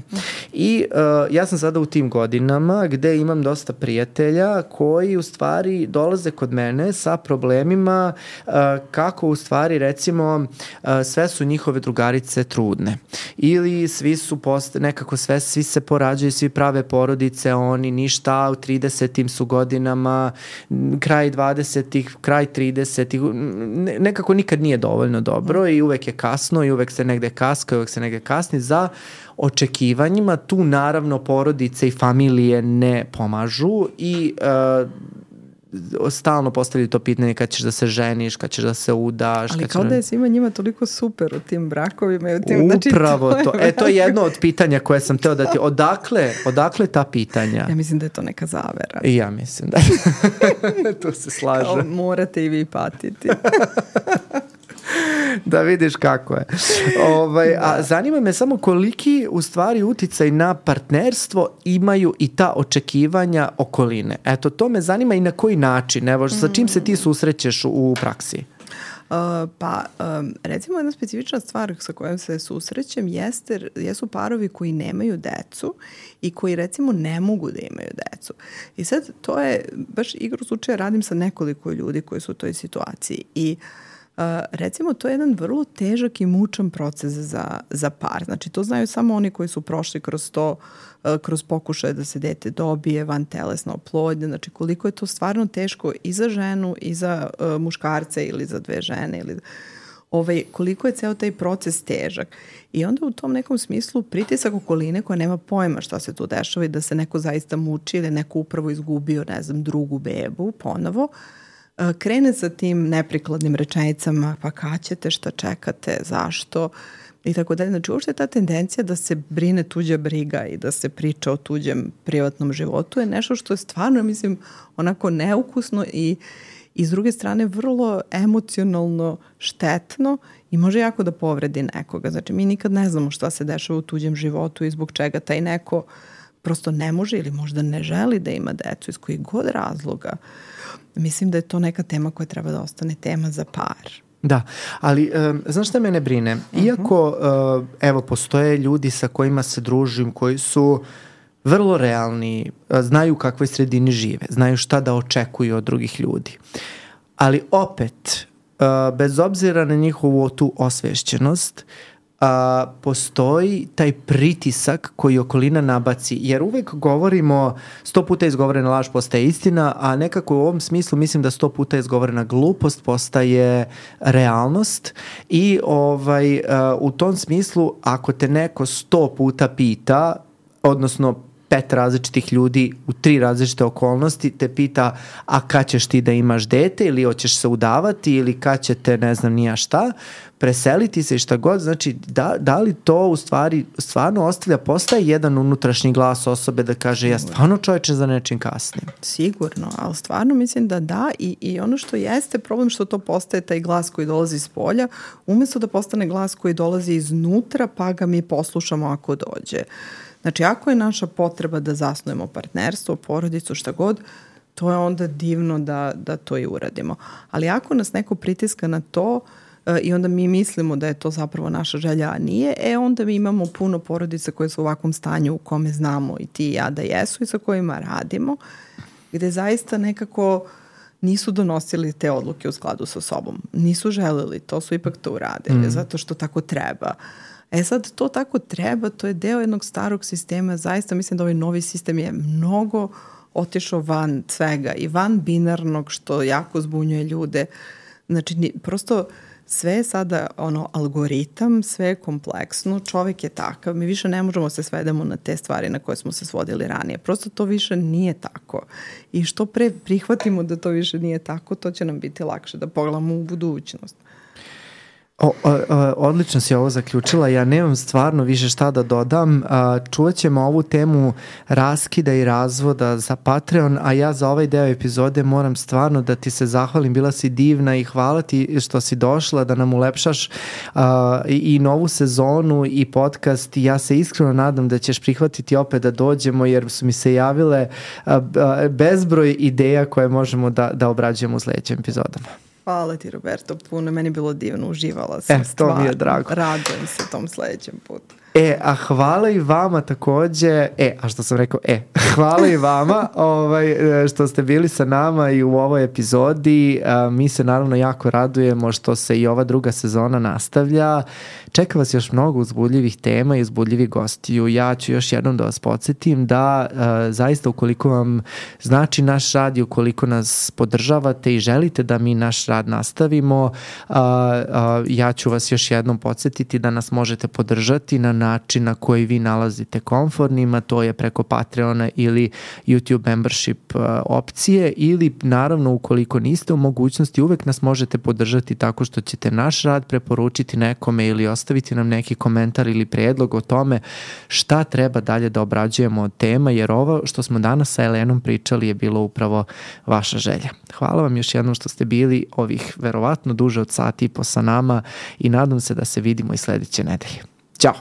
I ja sam sada u tim godinama gde imam dosta prijatelja koji u stvari dolaze kod mene sa problemima kako u stvari recimo sve su njihove drugarice trudne ili svi su svi se porađaju, svi prave porodice, oni ništa, u 30-im su godinama, kraj 20-ih, kraj 30-ih, nekako nikad nije dovoljno dobro i uvek je kasno i uvek se negde kaska i uvek se negde kasni za očekivanjima. Tu naravno porodice i familije ne pomažu i stalno postavljaju to pitanje kad ćeš da se ženiš, kad ćeš da se udaš. Ali kao da je svima njima toliko super u tim brakovima. Upravo to. To je jedno od pitanja koje sam teo da ti... Odakle ta pitanja? Ja mislim da je to neka zavera. I ja mislim da. Tu se slažem. Kao morate i vi patiti. Da vidiš kako je. A zanima me samo koliki u stvari uticaj na partnerstvo imaju i ta očekivanja okoline. Eto, to me zanima i na koji način. Evo, sa čim se ti susrećeš u praksi? Recimo jedna specifična stvar sa kojom se susrećem jesu parovi koji nemaju decu i koji recimo ne mogu da imaju decu. I sad to je, baš igru slučaja radim sa nekoliko ljudi koji su u toj situaciji i recimo to je jedan vrlo težak i mučan proces za par. Znači to znaju samo oni koji su prošli kroz to, kroz pokušaje da se dete dobije, vantelesna oplodnja, znači koliko je to stvarno teško i za ženu i za muškarce ili za dve žene ili koliko je ceo taj proces težak. I onda u tom nekom smislu pritisak okoline koja nema pojma šta se tu dešava i da se neko zaista muči ili neko upravo izgubio, ne znam, drugu bebu ponovo, krene sa tim neprikladnim rečenicama, pa kad ćete, šta čekate, zašto i tako dalje. Znači uopšte ta tendencija da se brine tuđa briga i da se priča o tuđem privatnom životu je nešto što je stvarno, mislim, onako neukusno i s druge strane vrlo emocionalno štetno i može jako da povredi nekoga. Znači mi nikad ne znamo šta se dešava u tuđem životu i zbog čega taj neko prosto ne može ili možda ne želi da ima decu iz kojih god razloga. Mislim da je to neka tema koja treba da ostane tema za par. Da, ali znaš šta mene brine? Iako, evo, postoje ljudi sa kojima se družim, koji su vrlo realni, znaju u kakvoj sredini žive, znaju šta da očekuju od drugih ljudi. Ali opet, bez obzira na njihovu tu osvešćenost, postoji taj pritisak koji okolina nabaci, jer uvek govorimo 100 puta izgovorena laž postaje istina, a nekako u ovom smislu mislim da 100 puta izgovorena glupost postaje realnost i u tom smislu ako te neko 100 puta pita, odnosno 5 različitih ljudi u 3 različite okolnosti te pita a kad ćeš ti da imaš dete ili hoćeš se udavati ili kad će te ne znam nija šta, preseliti se i šta god, znači da li to u stvari stvarno ostavlja, postaje jedan unutrašnji glas osobe da kaže ja stvarno čoveče za nečim kasnim. Sigurno, ali stvarno mislim da i ono što jeste problem što to postaje taj glas koji dolazi iz polja, umjesto da postane glas koji dolazi iznutra pa ga mi poslušamo ako dođe. Znači, ako je naša potreba da zasnujemo partnerstvo, porodicu, šta god, to je onda divno da to i uradimo. Ali ako nas neko pritiska na to i onda mi mislimo da je to zapravo naša želja, a nije, onda mi imamo puno porodica koje su u ovakvom stanju u kome znamo i ti i ja da jesu i sa kojima radimo, gde zaista nekako nisu donosili te odluke u skladu sa sobom. Nisu želeli, to su ipak to uradili, zato što tako treba. Sad, to tako treba, to je deo jednog starog sistema, zaista mislim da ovaj novi sistem je mnogo otišao van svega i van binarnog, što jako zbunjuje ljude. Znači, prosto sve je sada algoritam, sve je kompleksno, čovjek je takav, mi više ne možemo se svedemo na te stvari na koje smo se svodili ranije. Prosto to više nije tako. I što pre prihvatimo da to više nije tako, to će nam biti lakše da pogledamo u budućnost. Odlično si ovo zaključila, ja nemam stvarno više šta da dodam. Čuvat ćemo ovu temu raskida i razvoda za Patreon, a ja za ovaj deo epizode moram stvarno da ti se zahvalim, bila si divna i hvala ti što si došla da nam ulepšaš i novu sezonu i podcast. Ja se iskreno nadam da ćeš prihvatiti opet da dođemo, jer su mi se javile bezbroj ideja koje možemo da obrađujemo u sledećim epizodama. Hvala ti, Roberto, puno. Meni je bilo divno, uživala sam stvarno. To mi je drago. Radujem se tom sledećem putu. A hvala i vama takođe, a što sam rekao, hvala i vama što ste bili sa nama i u ovoj epizodi. Mi se naravno jako radujemo što se i ova druga sezona nastavlja. Čeka vas još mnogo uzbudljivih tema i uzbudljivih gostiju. Ja ću još jednom da vas podsjetim da zaista ukoliko vam znači naš rad i ukoliko nas podržavate i želite da mi naš rad nastavimo, ja ću vas još jednom podsjetiti da nas možete podržati na način na koji vi nalazite komfornima, to je preko Patreona ili YouTube membership opcije, ili naravno ukoliko niste u mogućnosti, uvek nas možete podržati tako što ćete naš rad preporučiti nekome ili ostaviti nam neki komentar ili predlog o tome šta treba dalje da obrađujemo od tema, jer ovo što smo danas sa Elenom pričali je bilo upravo vaša želja. Hvala vam još jednom što ste bili ovih verovatno duže od sat i po sa nama i nadam se da se vidimo i sledeće nedelje. Ćao!